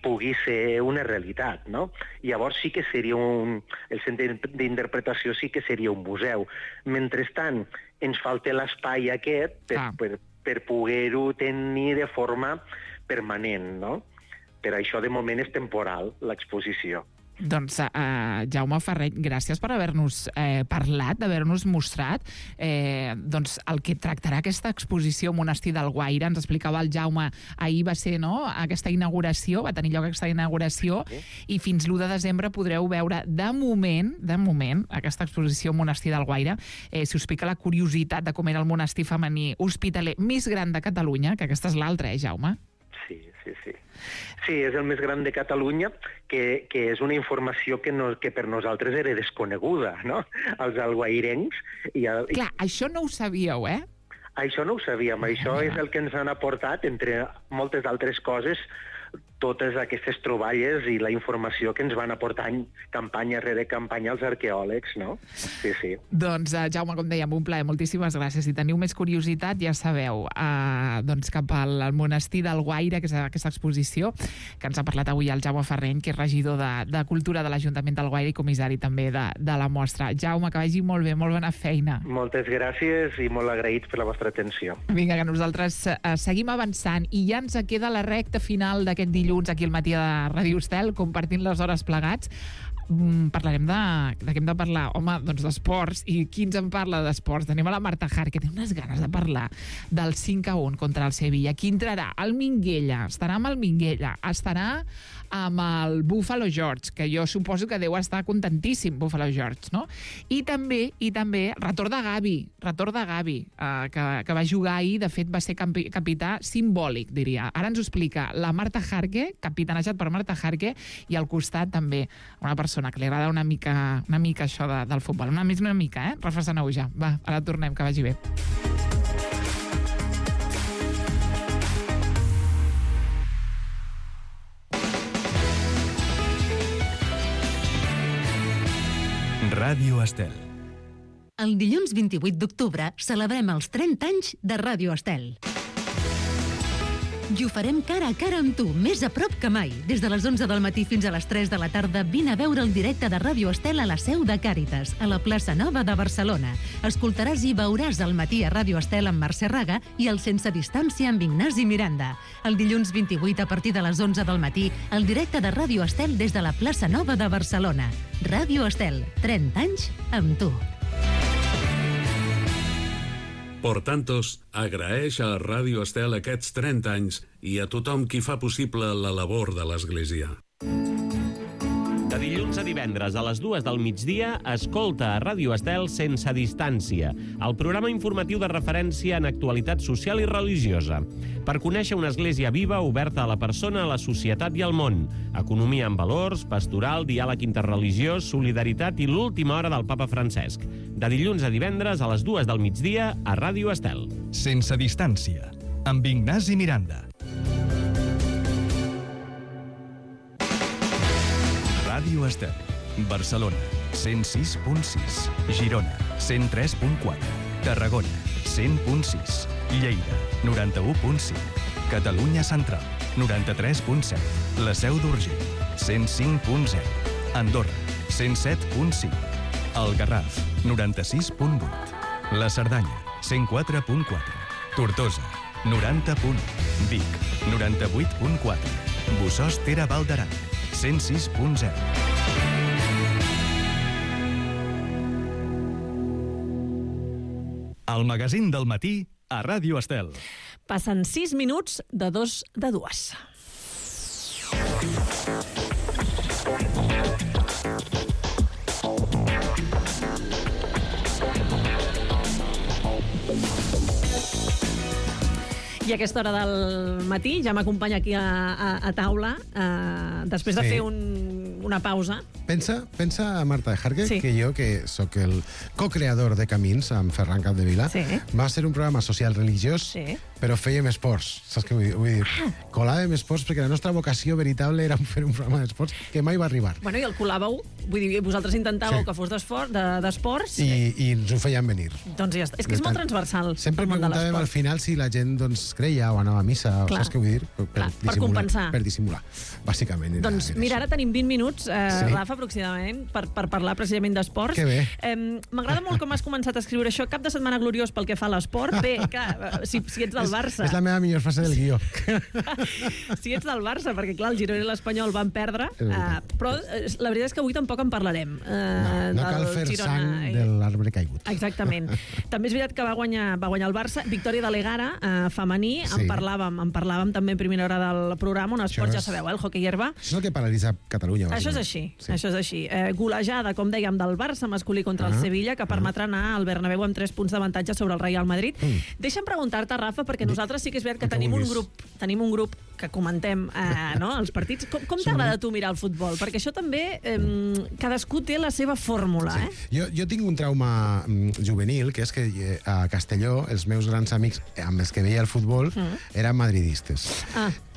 pugui ser una realitat. No? Llavors sí que seria el centre d'interpretació sí que seria un museu. Mentrestant, ens falta l'espai aquest per poder-ho tenir de forma permanent, no? Per això, de moment, és temporal, l'exposició. Doncs, Jaume Ferreny, gràcies per haver-nos parlat, d'haver-nos mostrat el que tractarà aquesta exposició Monestir d'Alguaire. Ens explicava el Jaume, ahir va ser aquesta inauguració, va tenir lloc aquesta inauguració, i fins l'1 de desembre podreu veure, de moment, aquesta exposició Monestir d'Alguaire. Si us pica la curiositat de com era el monestir femení hospitaler més gran de Catalunya, que aquesta és l'altra, Jaume? Sí. Sí, és el més gran de Catalunya, que és una informació que per nosaltres era desconeguda, no? Els alguairencs. Clar, això no ho sabíeu, eh? Això no ho sabíem. Això és el que ens han aportat, entre moltes altres coses, totes aquestes troballes i la informació que ens van aportar campanya rere campanya els arqueòlegs, no? Sí. Doncs, Jaume, com dèiem, un plaer, moltíssimes gràcies. Si teniu més curiositat, ja sabeu, cap al monestir d'Alguaire, que és aquesta exposició, que ens ha parlat avui el Jaume Ferreny, que és regidor de Cultura de l'Ajuntament d'Alguaire i comissari també de la mostra. Jaume, que vagi molt bé, molt bona feina. Moltes gràcies i molt agraïts per la vostra atenció. Vinga, que nosaltres seguim avançant i ja ens queda la recta final d'aquest dilluns aquí al matí de Ràdio Estel, compartint les hores plegats. parlarem de què hem de parlar. Home, doncs d'esports. I qui ens en parla d'esports? Tenim a la Marta Hart, que té unes ganes de parlar del 5-1 contra el Sevilla. Qui entrarà? El Minguella. Estarà amb el Minguella. Estarà amb el Buffalo George, que jo suposo que deu estar contentíssim, Buffalo George, no? I també, retorn de Gavi, que va jugar ahir, de fet va ser capità simbòlic, diria. Ara ens ho explica la Marta Jarque, capitanejat per Marta Jarque, i al costat també una persona que li agrada una mica això del futbol. Una mica, refrescaneu ja. Va, ara tornem, que vagi bé. Ràdio Estel. El dilluns 28 d'octubre celebrem els 30 anys de Ràdio Estel. I ho farem cara a cara amb tu, més a prop que mai. Des de les 11 del matí fins a les 3 de la tarda, vine a veure el directe de Ràdio Estel a la seu de Càritas, a la plaça Nova de Barcelona. Escoltaràs i veuràs al matí a Ràdio Estel amb Mercè Raga i el Sense Distància amb Ignasi Miranda. El dilluns 28, a partir de les 11 del matí, el directe de Ràdio Estel des de la plaça Nova de Barcelona. Ràdio Estel, 30 anys amb tu. Por Tantos agraeix a Ràdio Estel aquests 30 anys i a tothom qui fa possible la labor de l'Església. De dilluns a divendres a les 2 del migdia, escolta a Ràdio Estel Sense Distància, el programa informatiu de referència en actualitat social i religiosa, per conèixer una església viva, oberta a la persona, a la societat i al món, economia amb valors, pastoral, diàleg interreligiós, solidaritat i l'última hora del papa Francesc. De dilluns a divendres a les 2 del migdia a Ràdio Estel. Sense Distància, amb Ignasi Miranda. Ràdio Estel, Barcelona, 106.6, Girona, 103.4, Tarragona, 100.6, Lleida, 91.5, Catalunya Central, 93.7, la Seu d'Urgell, 105.0, Andorra, 107.5, el Garraf, 96.8, la Cerdanya, 104.4, Tortosa, 90.1, Vic, 98.4, Bossòst-Tere Val d'Aran, 106.0. El magazín del matí a Ràdio Estel. Passen 6 minuts de 2 de 2. I a aquesta hora del matí ja m'acompanya aquí a taula, després de fer una pausa. Pensa a Marta Jarque, que jo, que sóc el co-creador de Camins amb Ferran Capdevila, va ser un programa social religiós, però fèiem esports, saps què vull dir? Colàvem esports perquè la nostra vocació veritable era fer un programa d'esports que mai va arribar. Bueno, i el colàveu, vull dir, vosaltres intentàveu que fos d'esports. I ens ho feien venir. Doncs ja està. És que és molt transversal. Sempre preguntàvem al final si la gent creia o anava a missa, saps què vull dir? Per compensar. Per dissimular, bàsicament. Doncs mira, ara tenim 20 minuts, Rafa, aproximadament, per parlar precisament d'esports. Que bé. M'agrada molt com has començat a escriure això. Cap de setmana gloriós pel que fa a l'esport. Bé, clar, si ets del Barça... És la meva millor frase del guió. Si ets del Barça, perquè clar, el Girona i l'Espanyol van perdre, però la veritat és que avui tampoc en parlarem. No cal fer sang de l'arbre caigut. Exactament. També és veritat que va guanyar el Barça, victòria de l'Egara, femení, en parlàvem també en primera hora del programa, un esport, ja sabeu, el hoquei herba. Això és el que paralitza Catalunya. Això és així, això és així. Golejada, com dèiem, del Barça masculí contra el Sevilla, que permetrà anar al Bernabéu amb 3 punts d'avantatge sobre el Real Madrid. Deixa'm preguntar-te, Rafa, perquè nosaltres sí que és veritat que tenim un grup que comentem els partits. Com t'agrada tu mirar el futbol? Perquè això també, cadascú té la seva fórmula. Jo tinc un trauma juvenil, que és que a Castelló els meus grans amics amb els que veia el futbol eren madridistes.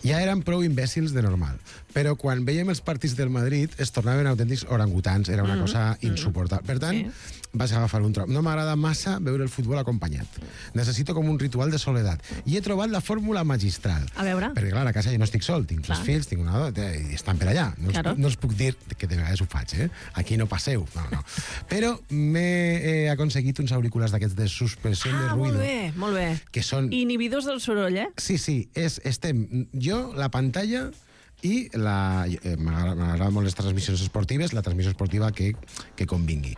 Ja eren prou imbècils de normal, però quan veiem els partits del Madrid es tornaven autèntics orangutans, era una cosa insuportable. Per tant, vaig agafar un trom. No m'agrada massa veure el futbol acompanyat. Necessito com un ritual de soledat. I he trobat la fórmula magistral. A veure. Perquè, clar, a casa jo no estic sol, tinc 3 fills, tinc una dona, i estan per allà. No els puc dir que de vegades ho faig, Aquí no passeu. No. Però m'he aconseguit uns auriculars d'aquests de suspensió de ruïdo. Molt bé. Que són... Inhibidors del soroll, Sí, estem... Jo, la pantalla i m'agraden molt les transmissions esportives, la transmissió esportiva que convingui.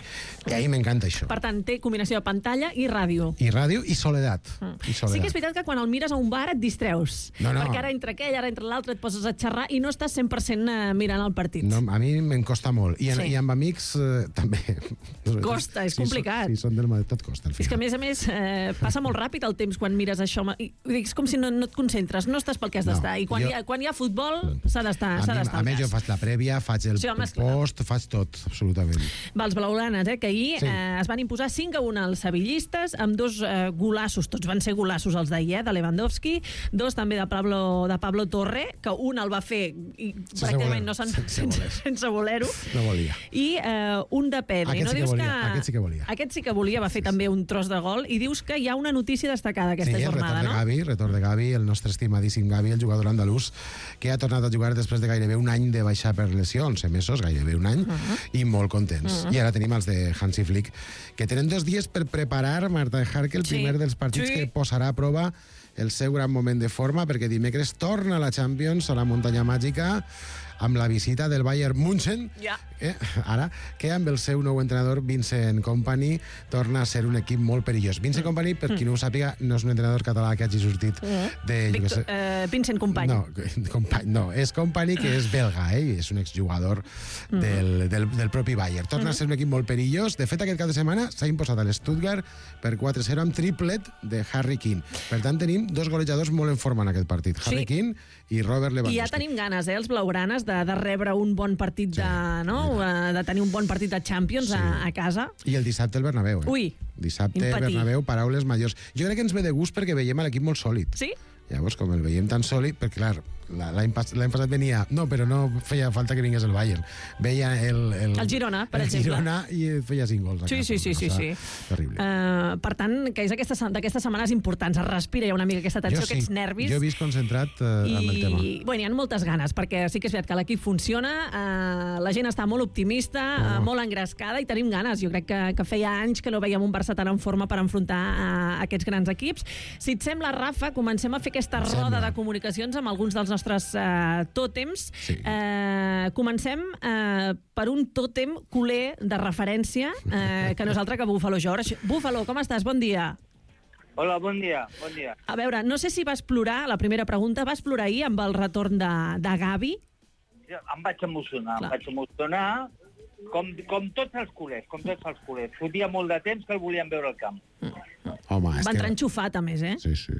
I a mi m'encanta això. Per tant, té combinació de pantalla i ràdio. I ràdio i soledat. Sí que és veritat que quan el mires a un bar et distreus. No. Perquè ara entre aquell, ara entre l'altre et poses a xerrar i no estàs 100% mirant el partit. No, a mi me'n costa molt. I amb amics també. Costa, és complicat. Sí, són del Madrid, tot costa. És que a més, passa molt ràpid el temps quan mires això. És com si no et concentres, no estàs pel que has d'estar. I quan hi ha futbol, s'ha d'estar. A més, jo faig la prèvia, faig el post, faig tot, absolutament. Els blaugranes, que ahir es van imposar 5-1 als sevillistes, amb 2 golassos, tots van ser golassos els d'ahir, de Lewandowski, 2 també de Pablo Torre, que un el va fer i pràcticament sense voler-ho. No volia. I un de Pedri. Aquest sí que volia. Aquest sí que volia, va fer també un tros de gol, i dius que hi ha una notícia destacada aquesta jornada, no? Sí, retorn de Gavi, el nostre estimadíssim Gavi, el jugador andalús, que ha tornat a jugar després de gairebé un any de baixar per lesió, 11 mesos, gairebé un any, i molt contents. I ara tenim els de Hansi Flick, que tenen 2 dies per preparar Marta Harke el primer dels partits que posarà a prova el seu gran moment de forma, perquè dimecres torna a la Champions, a la muntanya màgica, amb la visita del Bayern München, ara, que amb el seu nou entrenador, Vincent Kompany, torna a ser un equip molt perillós. Vincent Kompany, per qui no ho sàpiga, no és un entrenador català que hagi sortit de... Vincent Kompany. No, és Kompany, que és belga, i és un exjugador del propi Bayern. Torna a ser un equip molt perillós. De fet, aquest cap de setmana s'ha imposat a l'Stuttgart per 4-0 amb triplet de Harry Kane. Per tant, tenim 2 golejadors molt en forma en aquest partit. Harry Kane i Robert Lewandowski. I ja tenim ganes, els blaugranes, de rebre un bon partit de tenir un bon partit de Champions a casa. I el dissabte el Bernabéu. Ui, dissabte Bernabéu, paraules majors. Jo crec que ens ve de gust perquè veiem l'equip molt sòlid. Sí? Llavors, com el veiem tan sòlid, perquè clar, l'any passat venia... No, però no feia falta que vingués el Bayern. Veia el Girona, per exemple. El Girona i feia 5 gols. Sí. Terrible. Per tant, que és d'aquestes setmanes importants. Es respira ja una mica aquesta tensió, aquests nervis. Jo he vist concentrat amb el tema. Bueno, hi ha moltes ganes, perquè sí que és veritat que l'equip funciona, la gent està molt optimista, molt engrescada, i tenim ganes. Jo crec que feia anys que no veiem un Barça tan en forma per enfrontar aquests grans equips. Si et sembla, Rafa, comencem a fer aquesta roda de comunicacions amb alguns dels nostres tòtems. Comencem per un tòtem culer de referència, que no és altre que Buffalo George. Buffalo, com estàs? Bon dia. Hola, bon dia. A veure, no sé si vas plorar, la primera pregunta, vas plorar ahir amb el retorn de Gavi? Em vaig emocionar, com tots els culers, Fotia molt de temps que el volien veure al camp. Home, va entrar enxufat, a més, Sí.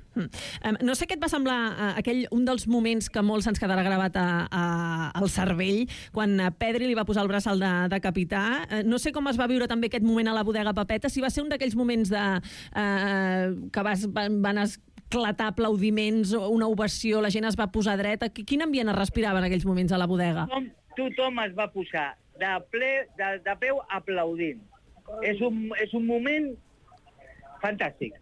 No sé què et va semblar un dels moments que molts ens quedarà gravat al cervell, quan Pedri li va posar el braçal de capità. No sé com es va viure també aquest moment a la bodega Pepeta, si va ser un d'aquells moments que van esclatar aplaudiments, una ovació, la gent es va posar dreta. Quin ambient es respirava en aquells moments a la bodega? Tothom es va posar de peu aplaudint. És un moment fantàstic.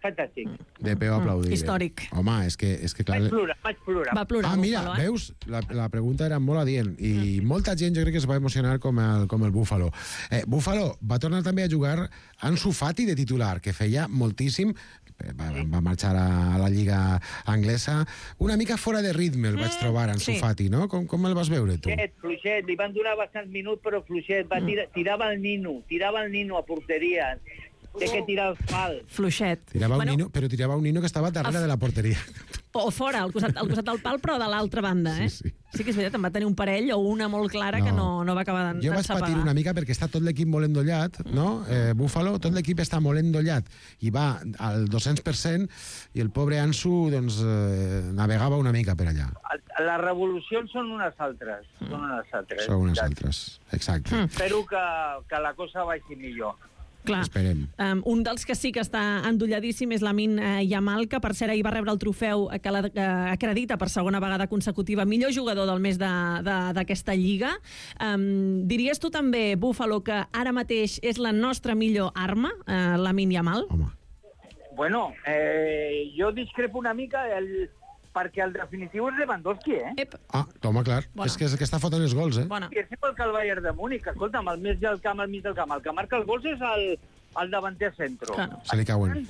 De peu aplaudint. Històric. Home, és que clar... Vaig plorar. Va plorar. Mira, veus? La pregunta era molt adient i molta gent jo crec que es va emocionar com el Buffalo. Buffalo va tornar també a jugar Ansu Fati de titular, que feia moltíssim, va marxar a la Lliga Anglesa, una mica fora de ritme el vaig trobar, Ansu Fati, no? Com el vas veure, tu? Fluixet, li van donar bastants minuts, però fluixet, tirava el nino a porteria, té que tirar el fal. Fluixet. Tirava un nino que estava darrere de la porteria. O fora, al costat del pal, però de l'altra banda, Sí que és veritat, em va tenir un parell o una molt clara que no va acabar d'encepegar. Jo vaig patir una mica perquè està tot l'equip molt endollat, no? Buffalo, tot l'equip està molt endollat i va al 200% i el pobre Ansu, doncs, navegava una mica per allà. Les revolucions són unes altres. Són unes altres, exacte. Espero que la cosa vagi millor. Clar. Esperem. Un dels que sí que està endolladíssim és Lamine Yamal, que per cert ahir va rebre el trofeu que l'acredita per segona vegada consecutiva millor jugador del mes d'aquesta lliga. Diries tu també, Buffalo, que ara mateix és la nostra millor arma, Lamine Yamal? Home. Bueno, jo discrepo una mica perquè el definitiu és Lewandowski, Toma, clar. Bueno. És que està fotent els gols, I és igual que el Bayern de Múnich. Escolta'm, al mig del camp, al mig del camp. El que marca els gols és el davanter centro. Se li cauen.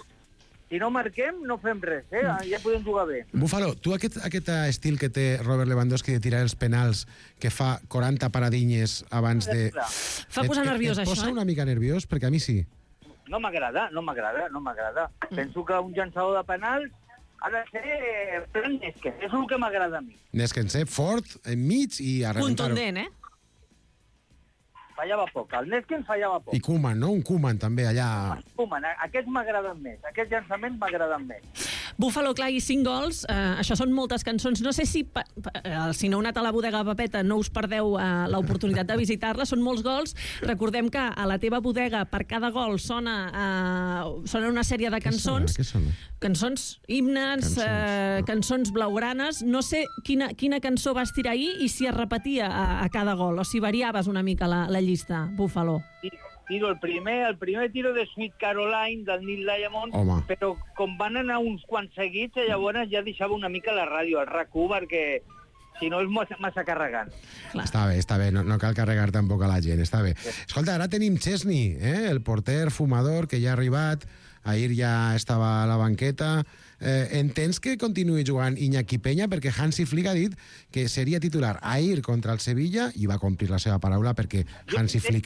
Si no marquem, no fem res, ja podem jugar bé. Búfalo, tu aquest estil que té Robert Lewandowski de tirar els penals, que fa 40 paradinyes abans de... Fa posar nerviós, això, eh? Et posa una mica nerviós? Perquè a mi sí. No m'agrada. Penso que un llançador de penals ha de ser plan Neskens, és el que m'agrada a mi. Neskens, fort, enmig i a rebentar. Contundent, Fallava poc, el Neskens fallava poc. I Koeman, no? Un Koeman també allà... Koeman, aquests m'agraden més, aquests llançaments m'agraden més. Búfalo, clar, i 5 gols, això són moltes cançons. No sé si no heu anat a la bodega Pepeta no us perdeu l'oportunitat de visitar-la, són molts gols. Recordem que a la teva bodega per cada gol sona una sèrie de cançons. Què sona? Cançons, himnes, cançons blaugranes. No sé quina cançó vas tirar ahir i si es repetia a cada gol, o si variaves una mica la llista, Búfalo. Tiro el primer tiro de Sweet Caroline del Neil Diamond, però com van anar uns quants seguits, llavors ja deixava una mica la ràdio, el RAC1, perquè si no és massa carregant. Està bé, no cal carregar tampoc a la gent, està bé. Escolta, ara tenim Chesney, el porter fumador que ja ha arribat, ahir ja estava a la banqueta. Entens que continuï jugant Iñaki Peña? Perquè Hansi Flick ha dit que seria titular ahir contra el Sevilla i va complir la seva paraula perquè Hansi Flick...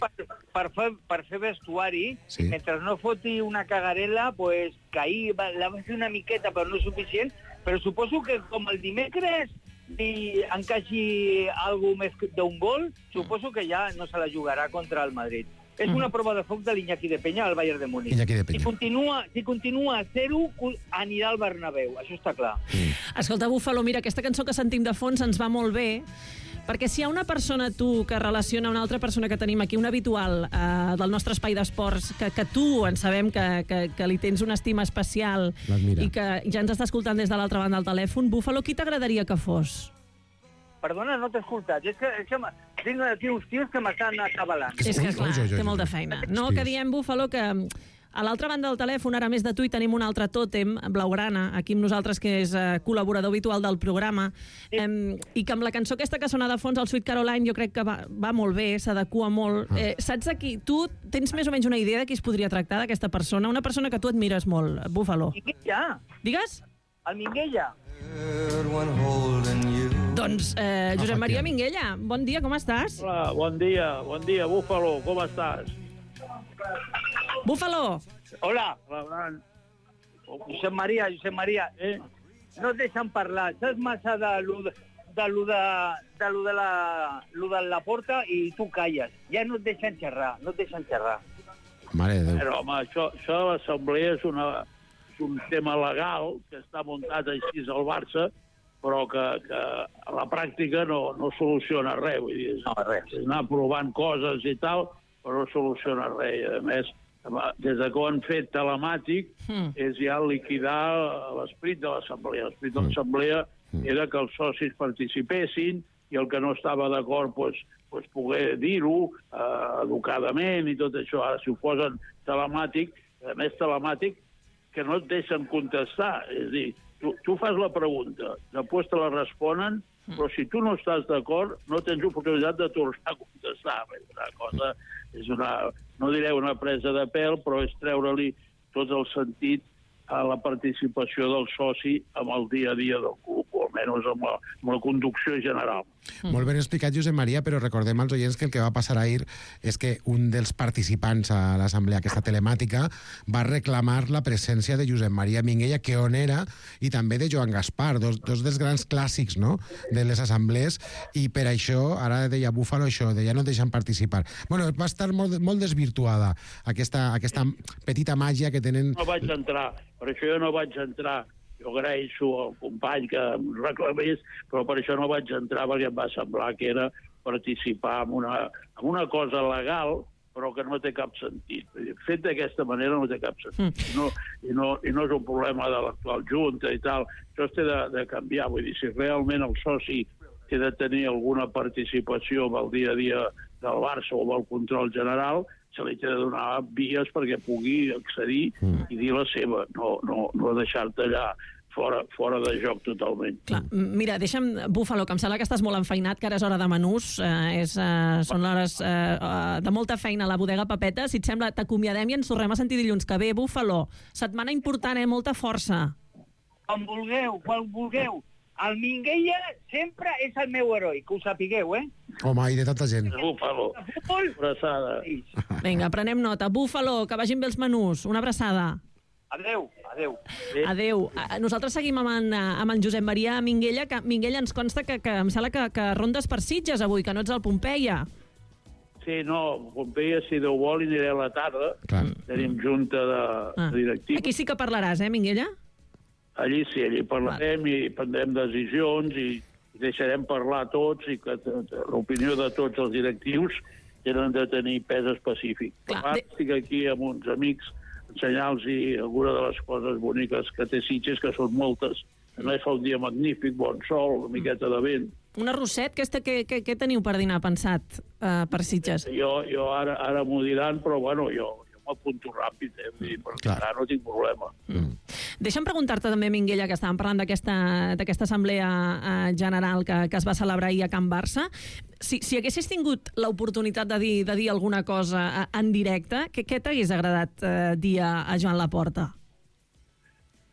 Per fer vestuari, mentre no foti una cagarela, pues, que ahir la va fer una miqueta, però no suficient, però suposo que com el dimecres li encaixi alguna més d'un gol, suposo que ja no se la jugarà contra el Madrid. És una prova de foc de l'Iñaki de Peña al Bayern de Múnich. Si continua a 0, anirà al Bernabéu, això està clar. Escolta, Búfalo, mira, aquesta cançó que sentim de fons ens va molt bé, perquè si hi ha una persona, tu, que relaciona una altra persona que tenim aquí, un habitual del nostre espai d'esports, que tu en sabem que li tens una estima especial i que ja ens està escoltant des de l'altra banda del telèfon, Búfalo, qui t'agradaria que fos? Perdona, no t'he escoltat. És que tinc aquí uns tios que m'estan acabalant. És que, clar, té molta feina. No, que diem, Búfalo, que a l'altra banda del telèfon, ara més de tu, hi tenim un altre tòtem, blaugrana, aquí amb nosaltres, que és col·laborador habitual del programa, i que amb la cançó aquesta que sona de fons, el Sweet Caroline, jo crec que va molt bé, s'adequa molt. Saps aquí, tu tens més o menys una idea de qui es podria tractar, d'aquesta persona? Una persona que tu admires molt, Búfalo. Minguella. Digues? El Minguella. Doncs, Josep Maria Minguella, bon dia, com estàs? Hola, bon dia, Búfalo, com estàs? Búfalo! Hola! Josep Maria, no et deixen parlar, saps massa de la porta i tu calles. Ja no et deixen xerrar, Mare de Déu. Però, home, això de l'assemblea és un tema legal que està muntat així al Barça, però que a la pràctica no soluciona res. Vull dir, és anar provant coses i tal, però no soluciona res. A més, des que ho han fet telemàtic, és ja liquidar l'esperit de l'assemblea. L'esperit de l'assemblea era que els socis participessin i el que no estava d'acord poder dir-ho educadament i tot això. Ara, si ho posen telemàtic, a més telemàtic, que no et deixen contestar. És a dir, tu fas la pregunta, després te la responen, però si tu no estàs d'acord, no tens oportunitat de tornar a contestar. No diré una presa de pèl, però és treure-li tot el sentit a la participació del soci amb el dia a dia del club, o almenys amb la conducció general. Molt ben explicat, Josep Maria, però recordem als oients que el que va passar ahir és que un dels participants a l'assemblea aquesta telemàtica va reclamar la presència de Josep Maria Minguella, que on era, i també de Joan Gaspar, dos dels grans clàssics, no?, de les assemblees, i per això, ara deia Búfalo això, de ja no deixen participar. Bueno, va estar molt desvirtuada aquesta petita màgia que tenen... No vaig entrar, per això jo no vaig entrar. Jo agraeixo al company que em reclamés, però per això no vaig entrar, perquè em va semblar que era participar en una cosa legal, però que no té cap sentit. Fet d'aquesta manera no té cap sentit. I no és un problema de l'actual Junta i tal. Això es té de canviar. Vull dir, si realment el soci té de tenir alguna participació en el dia a dia del Barça o del control general, se li té de donar vies perquè pugui accedir i dir la seva, no deixar-te allà fora de joc totalment. Clar, mira, deixa'm, Búfalo, que em sembla que estàs molt enfeinat, que ara és hora de menús, són hores de molta feina a la bodega Pepeta. Si et sembla, t'acomiadem i ens tornem a sentir dilluns que ve. Búfalo, setmana important, molta força. Quan vulgueu. El Minguella sempre és el meu heroi, que ho sapigueu, Home, i de tanta gent. Búfalo, abraçada. Vinga, prenem nota. Búfalo, que vagin bé els menús. Una abraçada. Adéu. Adéu. Nosaltres seguim amb en Josep Maria Minguella, que Minguella ens consta que em sembla que rondes per Sitges avui, que no ets al Pompeia. Sí, no, Pompeia, si Déu vol, aniré a la tarda. Tenim junta de directius. Aquí sí que parlaràs, Minguella? Allí sí, allí parlarem i prendrem decisions i deixarem parlar tots i que l'opinió de tots els directius tenen de tenir pes específic. Estic aquí amb uns amics ensenyar-los alguna de les coses boniques que té Sitges, que són moltes. A més, fa un dia magnífic, bon sol, una miqueta de vent. Un arrosset, què teniu per dinar pensat per Sitges? Jo ara m'ho diran, però bueno, jo m'apunto ràpid, perquè ara no tinc problema. Deixa'm preguntar-te també, Minguella, que estàvem parlant d'aquesta assemblea general que es va celebrar ahir a Can Barça. Si haguessis tingut l'oportunitat de dir alguna cosa en directe, què t'hagués agradat dir a Joan Laporta?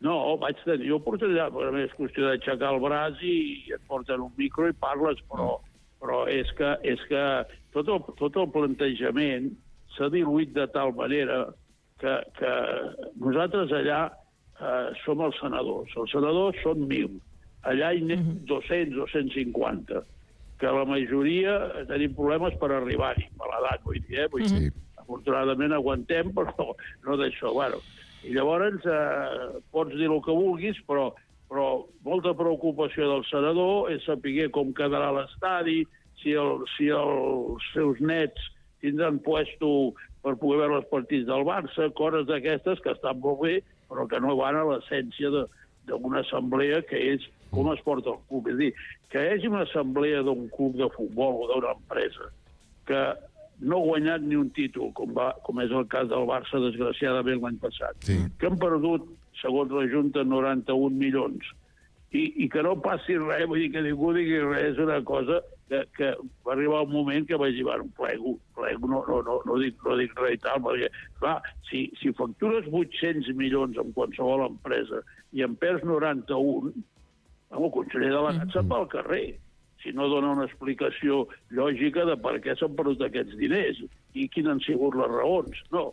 No, vaig tenir oportunitat, perquè a més és qüestió d'aixecar el braç i et porten un micro i parles, però és que tot el plantejament s'ha diluït de tal manera que nosaltres allà som els senadors. Els senadors són 1.000. Allà hi anem 200, 250. Que la majoria tenim problemes per arribar-hi, a l'edat, vull dir. Afortunadament aguantem, però no d'això. Bueno, i llavors pots dir el que vulguis, però molta preocupació del senador és saber com quedarà l'estadi, si els seus nets tindran puesto per poder veure els partits del Barça, coses d'aquestes que estan molt bé, però que no van a l'essència d'una assemblea que és com es porta el club. És a dir, que hi hagi una assemblea d'un club de futbol o d'una empresa que no ha guanyat ni un títol, com és el cas del Barça, desgraciadament, l'any passat, que han perdut, segons la Junta, 91 milions, i que no passi res, vull dir que ningú digui res, és una cosa que va arribar un moment que vaig dir, bueno, plego, no dic res i tal, perquè, clar, si factures 800 milions en qualsevol empresa i en perds 91, el conseller delegat se'n va al carrer, si no dona una explicació lògica de per què s'han perdut aquests diners i quines han sigut les raons. No,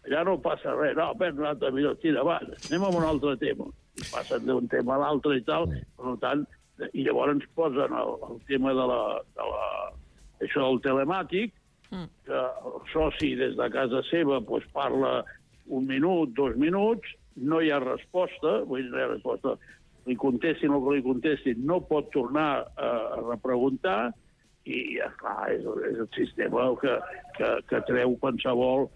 allà no passa res, no, perds 90 milions, tira, va, anem a un altre tema. I passen d'un tema a l'altre i tal, per tant, i llavors posen el tema això del telemàtic, que el soci des de casa seva parla 1 minut, 2 minuts, no hi ha resposta, vull dir, no hi ha resposta, li contestin el que li contestin, no pot tornar a repreguntar, i clar, és el sistema que treu qualsevol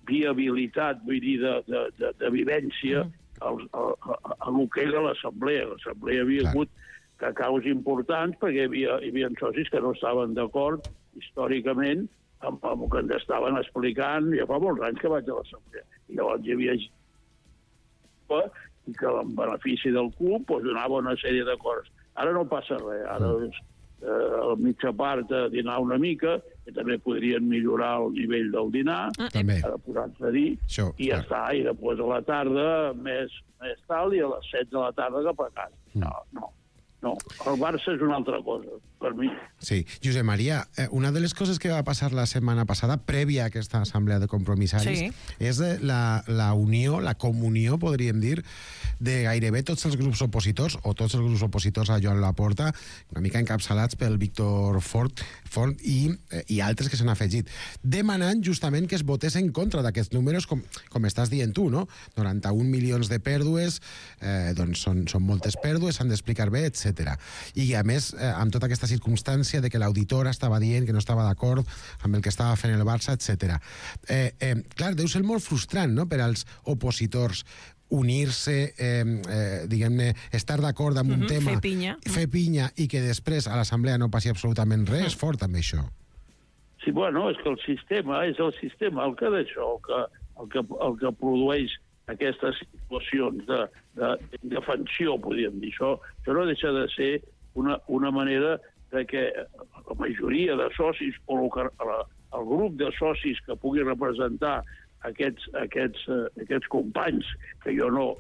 viabilitat, vull dir, de vivència a el que era l'assemblea. L'assemblea havia hagut cacaus importants perquè hi havia socis que no estaven d'acord històricament amb el que ens estaven explicant. Ja fa molts anys que vaig a l'assemblea. I llavors hi havia i que en benefici del club donava una sèrie de coses. Ara no passa res. Ara a mitja part a dinar una mica, que també podrien millorar el nivell del dinar, ara posar-se a dir, i ja està, i després a la tarda més tal, i a les 7 de la tarda cap a casa. No, el Barça és una altra cosa, per mi. Sí, Josep Maria, una de les coses que va passar la setmana passada, prèvia a aquesta assemblea de compromissaris, és la unió, la comunió, podríem dir, de gairebé tots els grups opositors, o tots els grups opositors a Joan Laporta, una mica encapçalats pel Víctor Font i altres que s'han afegit, demanant justament que es votés en contra d'aquests números, com estàs dient tu, no? 91 milions de pèrdues, doncs són moltes pèrdues, s'han d'explicar bé, etc. I a més, amb tota aquesta circumstància de que l'auditora estava dient que no estava d'acord amb el que estava fent el Barça, etc. Clar, deu ser molt frustrant, no?, per als opositors unir-se, diguem-ne, estar d'acord amb un tema, fer pinya, i que després a l'assemblea no passi absolutament res, és fort també això. Sí, bueno, és que el sistema és el sistema, el que d'això, el que produeix aquestes situacions d'indefensió, podríem dir. Això no deixa de ser una manera de que la majoria de socis o el grup de socis que pugui representar aquests companys, que jo no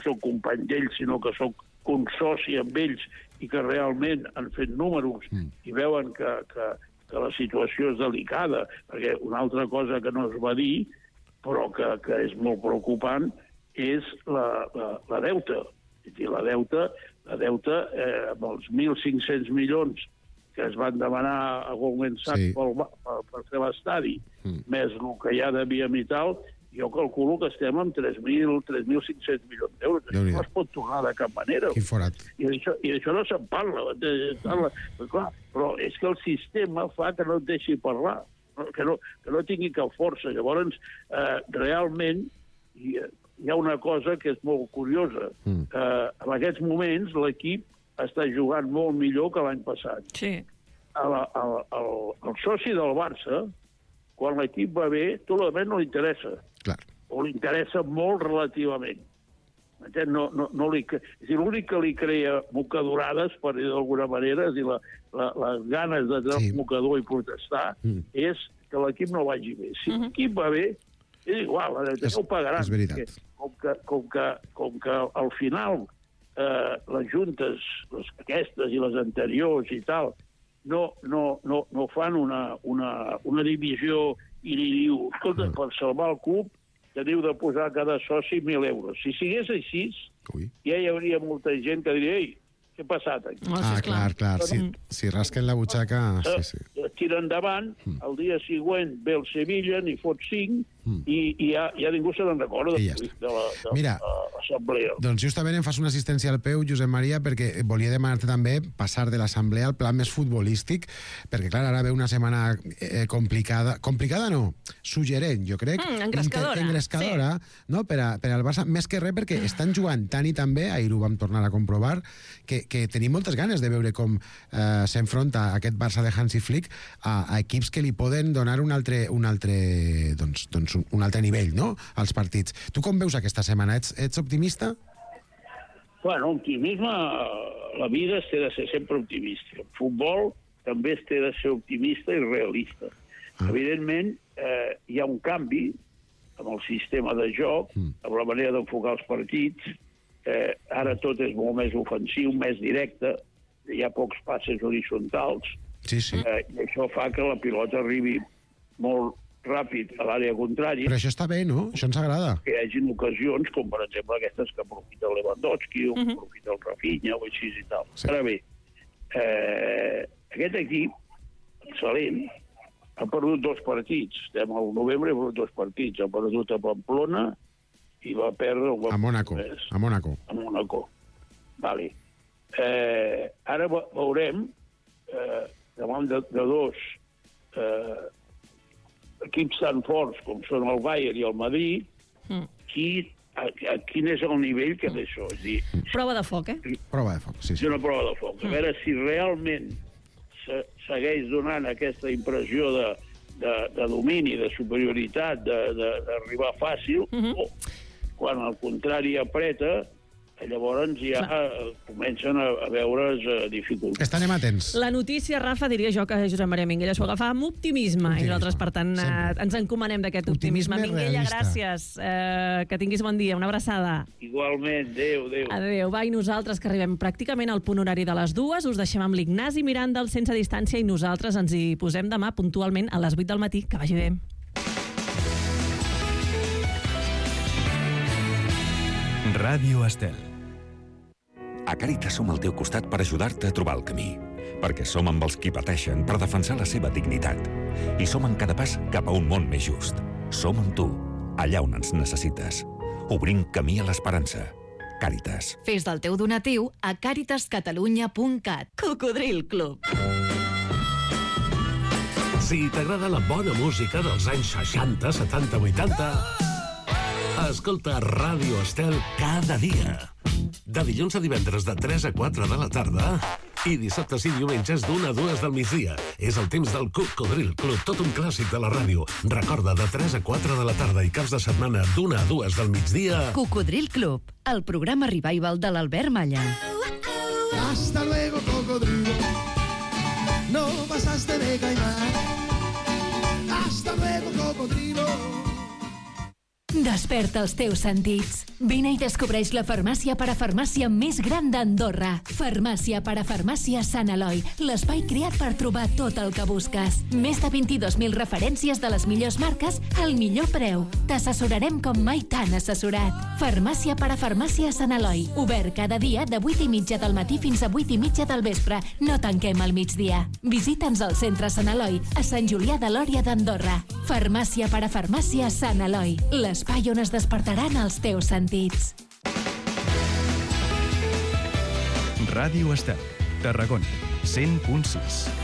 soc company d'ells, sinó que soc consoci amb ells i que realment han fet números i veuen que la situació és delicada, perquè una altra cosa que no es va dir, però que és molt preocupant, és la deuta. És a dir, la deuta amb els 1.500 milions que es van demanar a Goldman Sachs per fer l'estadi, més el que hi ha de Via Vital, jo calculo que estem amb 3.500 milions d'euros. Això no es pot tornar de cap manera. Quin forat. I d'això no se'n parla. Clar, però és que el sistema fa que no et deixi parlar, que no tingui cap força. Llavors, realment, hi ha una cosa que és molt curiosa. En aquests moments, l'equip està jugant molt millor que l'any passat. Sí. El soci del Barça, quan l'equip va bé, tot l'altre no li interessa. Clar. O li interessa molt relativament. L'únic que li crea mocadorades, per dir d'alguna manera, és dir, les ganes de tenir el mocador i protestar, és que l'equip no vagi bé. Si l'equip va bé, és igual, ja ho pagaran. És veritat. Com que al final les juntes, aquestes i les anteriors i tal, no fan una divisió i li diu, escolta, per salvar el club teniu de posar a cada soci 1.000 euros. Si sigués així, ja hi hauria molta gent que diria, ei, què ha passat aquí? Clar. Si rasquen la butxaca... Tira endavant, el dia següent ve el Sevilla, n'hi fot 5, i ja ningú se n'en recorda de l'assemblea. Doncs justament em fas una assistència al peu, Josep Maria, perquè volia demanar-te també passar de l'assemblea al pla més futbolístic, perquè, clar, ara ve una setmana complicada. Complicada no, suggerent, jo crec. Engrescadora, no? Per al Barça, més que res perquè estan jugant tant i tan bé, ahir ho vam tornar a comprovar, que tenim moltes ganes de veure com s'enfronta aquest Barça de Hansi Flick a equips que li poden donar un altre nivell, no?, als partits. Tu com veus aquesta setmana? Ets optimista? Bueno, optimisme... La vida es té de ser sempre optimista. El futbol també es té de ser optimista i realista. Evidentment, hi ha un canvi amb el sistema de joc, amb la manera d'enfocar els partits. Ara tot és molt més ofensiu, més directe, hi ha pocs passes horitzontals, i això fa que la pilota arribi molt ràpid a l'àrea contrària. Però això està bé, no? Això ens agrada. Que hi hagi ocasions, com per exemple aquestes que aprofita el Lewandowski o que aprofita el Rafinha o així i tal. Ara bé, aquest equip, excel·lent, ha perdut 2 partits. Estem al novembre i ha perdut 2 partits. Ha perdut a Pamplona i va perdre... A Mònaco. A Mònaco. Vale. Ara veurem, davant de 2 equips tan forts com són el Bayern i el Madrid, quin és el nivell que té això? És dir, prova de foc, Prova de foc, sí. És una prova de foc. A veure si realment segueix donant aquesta impressió de domini, de superioritat, d'arribar fàcil, o quan al contrari apreta, llavors ja comencen a veure's dificultats. Estarem atents. La notícia, Rafa, diria jo que Josep Maria Minguella s'ho agafava amb optimisme, i nosaltres, per tant, ens encomanem d'aquest optimisme. Minguella, gràcies. Que tinguis bon dia. Una abraçada. Igualment. Adéu. Adéu. Va, i nosaltres, que arribem pràcticament al punt horari de les 2, us deixem amb l'Ignasi Miranda, el Sense Distància, i nosaltres ens hi posem demà puntualment a les 8 del matí. Que vagi bé. Ràdio Estel. A Càritas som al teu costat per ajudar-te a trobar el camí. Perquè som amb els qui pateixen per defensar la seva dignitat. I som en cada pas cap a un món més just. Som amb tu, allà on ens necessites. Obrim camí a l'esperança. Càritas. Fes del teu donatiu a caritascatalunya.cat. Cocodril Club. Si t'agrada la bona música dels anys 60, 70, 80... Escolta Ràdio Estel cada dia. De dilluns a divendres de 3 a 4 de la tarda I dissabtes i diumenges d'1 a 2 del migdia. És el temps del Cocodril Club, tot un clàssic de la ràdio. Recorda, de 3 a 4 de la tarda i caps de setmana d'1 a 2 del migdia. Cocodril Club, el programa revival de l'Albert Malla. Hasta luego, cocodrilo. No pasaste de caimán. Hasta luego, cocodrilo. Desperta els teus sentits. Vine i descobreix la farmàcia parafarmàcia més gran d'Andorra. Farmàcia parafarmàcia Sant Eloi, l'espai creat per trobar tot el que busques. Més de 22.000 referències de les millors marques al millor preu. T'assessorarem com mai t'han assessorat. Farmàcia parafarmàcia Sant Eloi, obert cada dia de 8:30 del matí fins a 8:30 del vespre. No tanquem al migdia. Visita'ns al centre Sant Eloi, a Sant Julià de Lòria d'Andorra. Farmàcia parafarmàcia Sant Eloi, l'espai on es despertaran els teus sentits. Ràdio Estel, Tarragona, 100.6.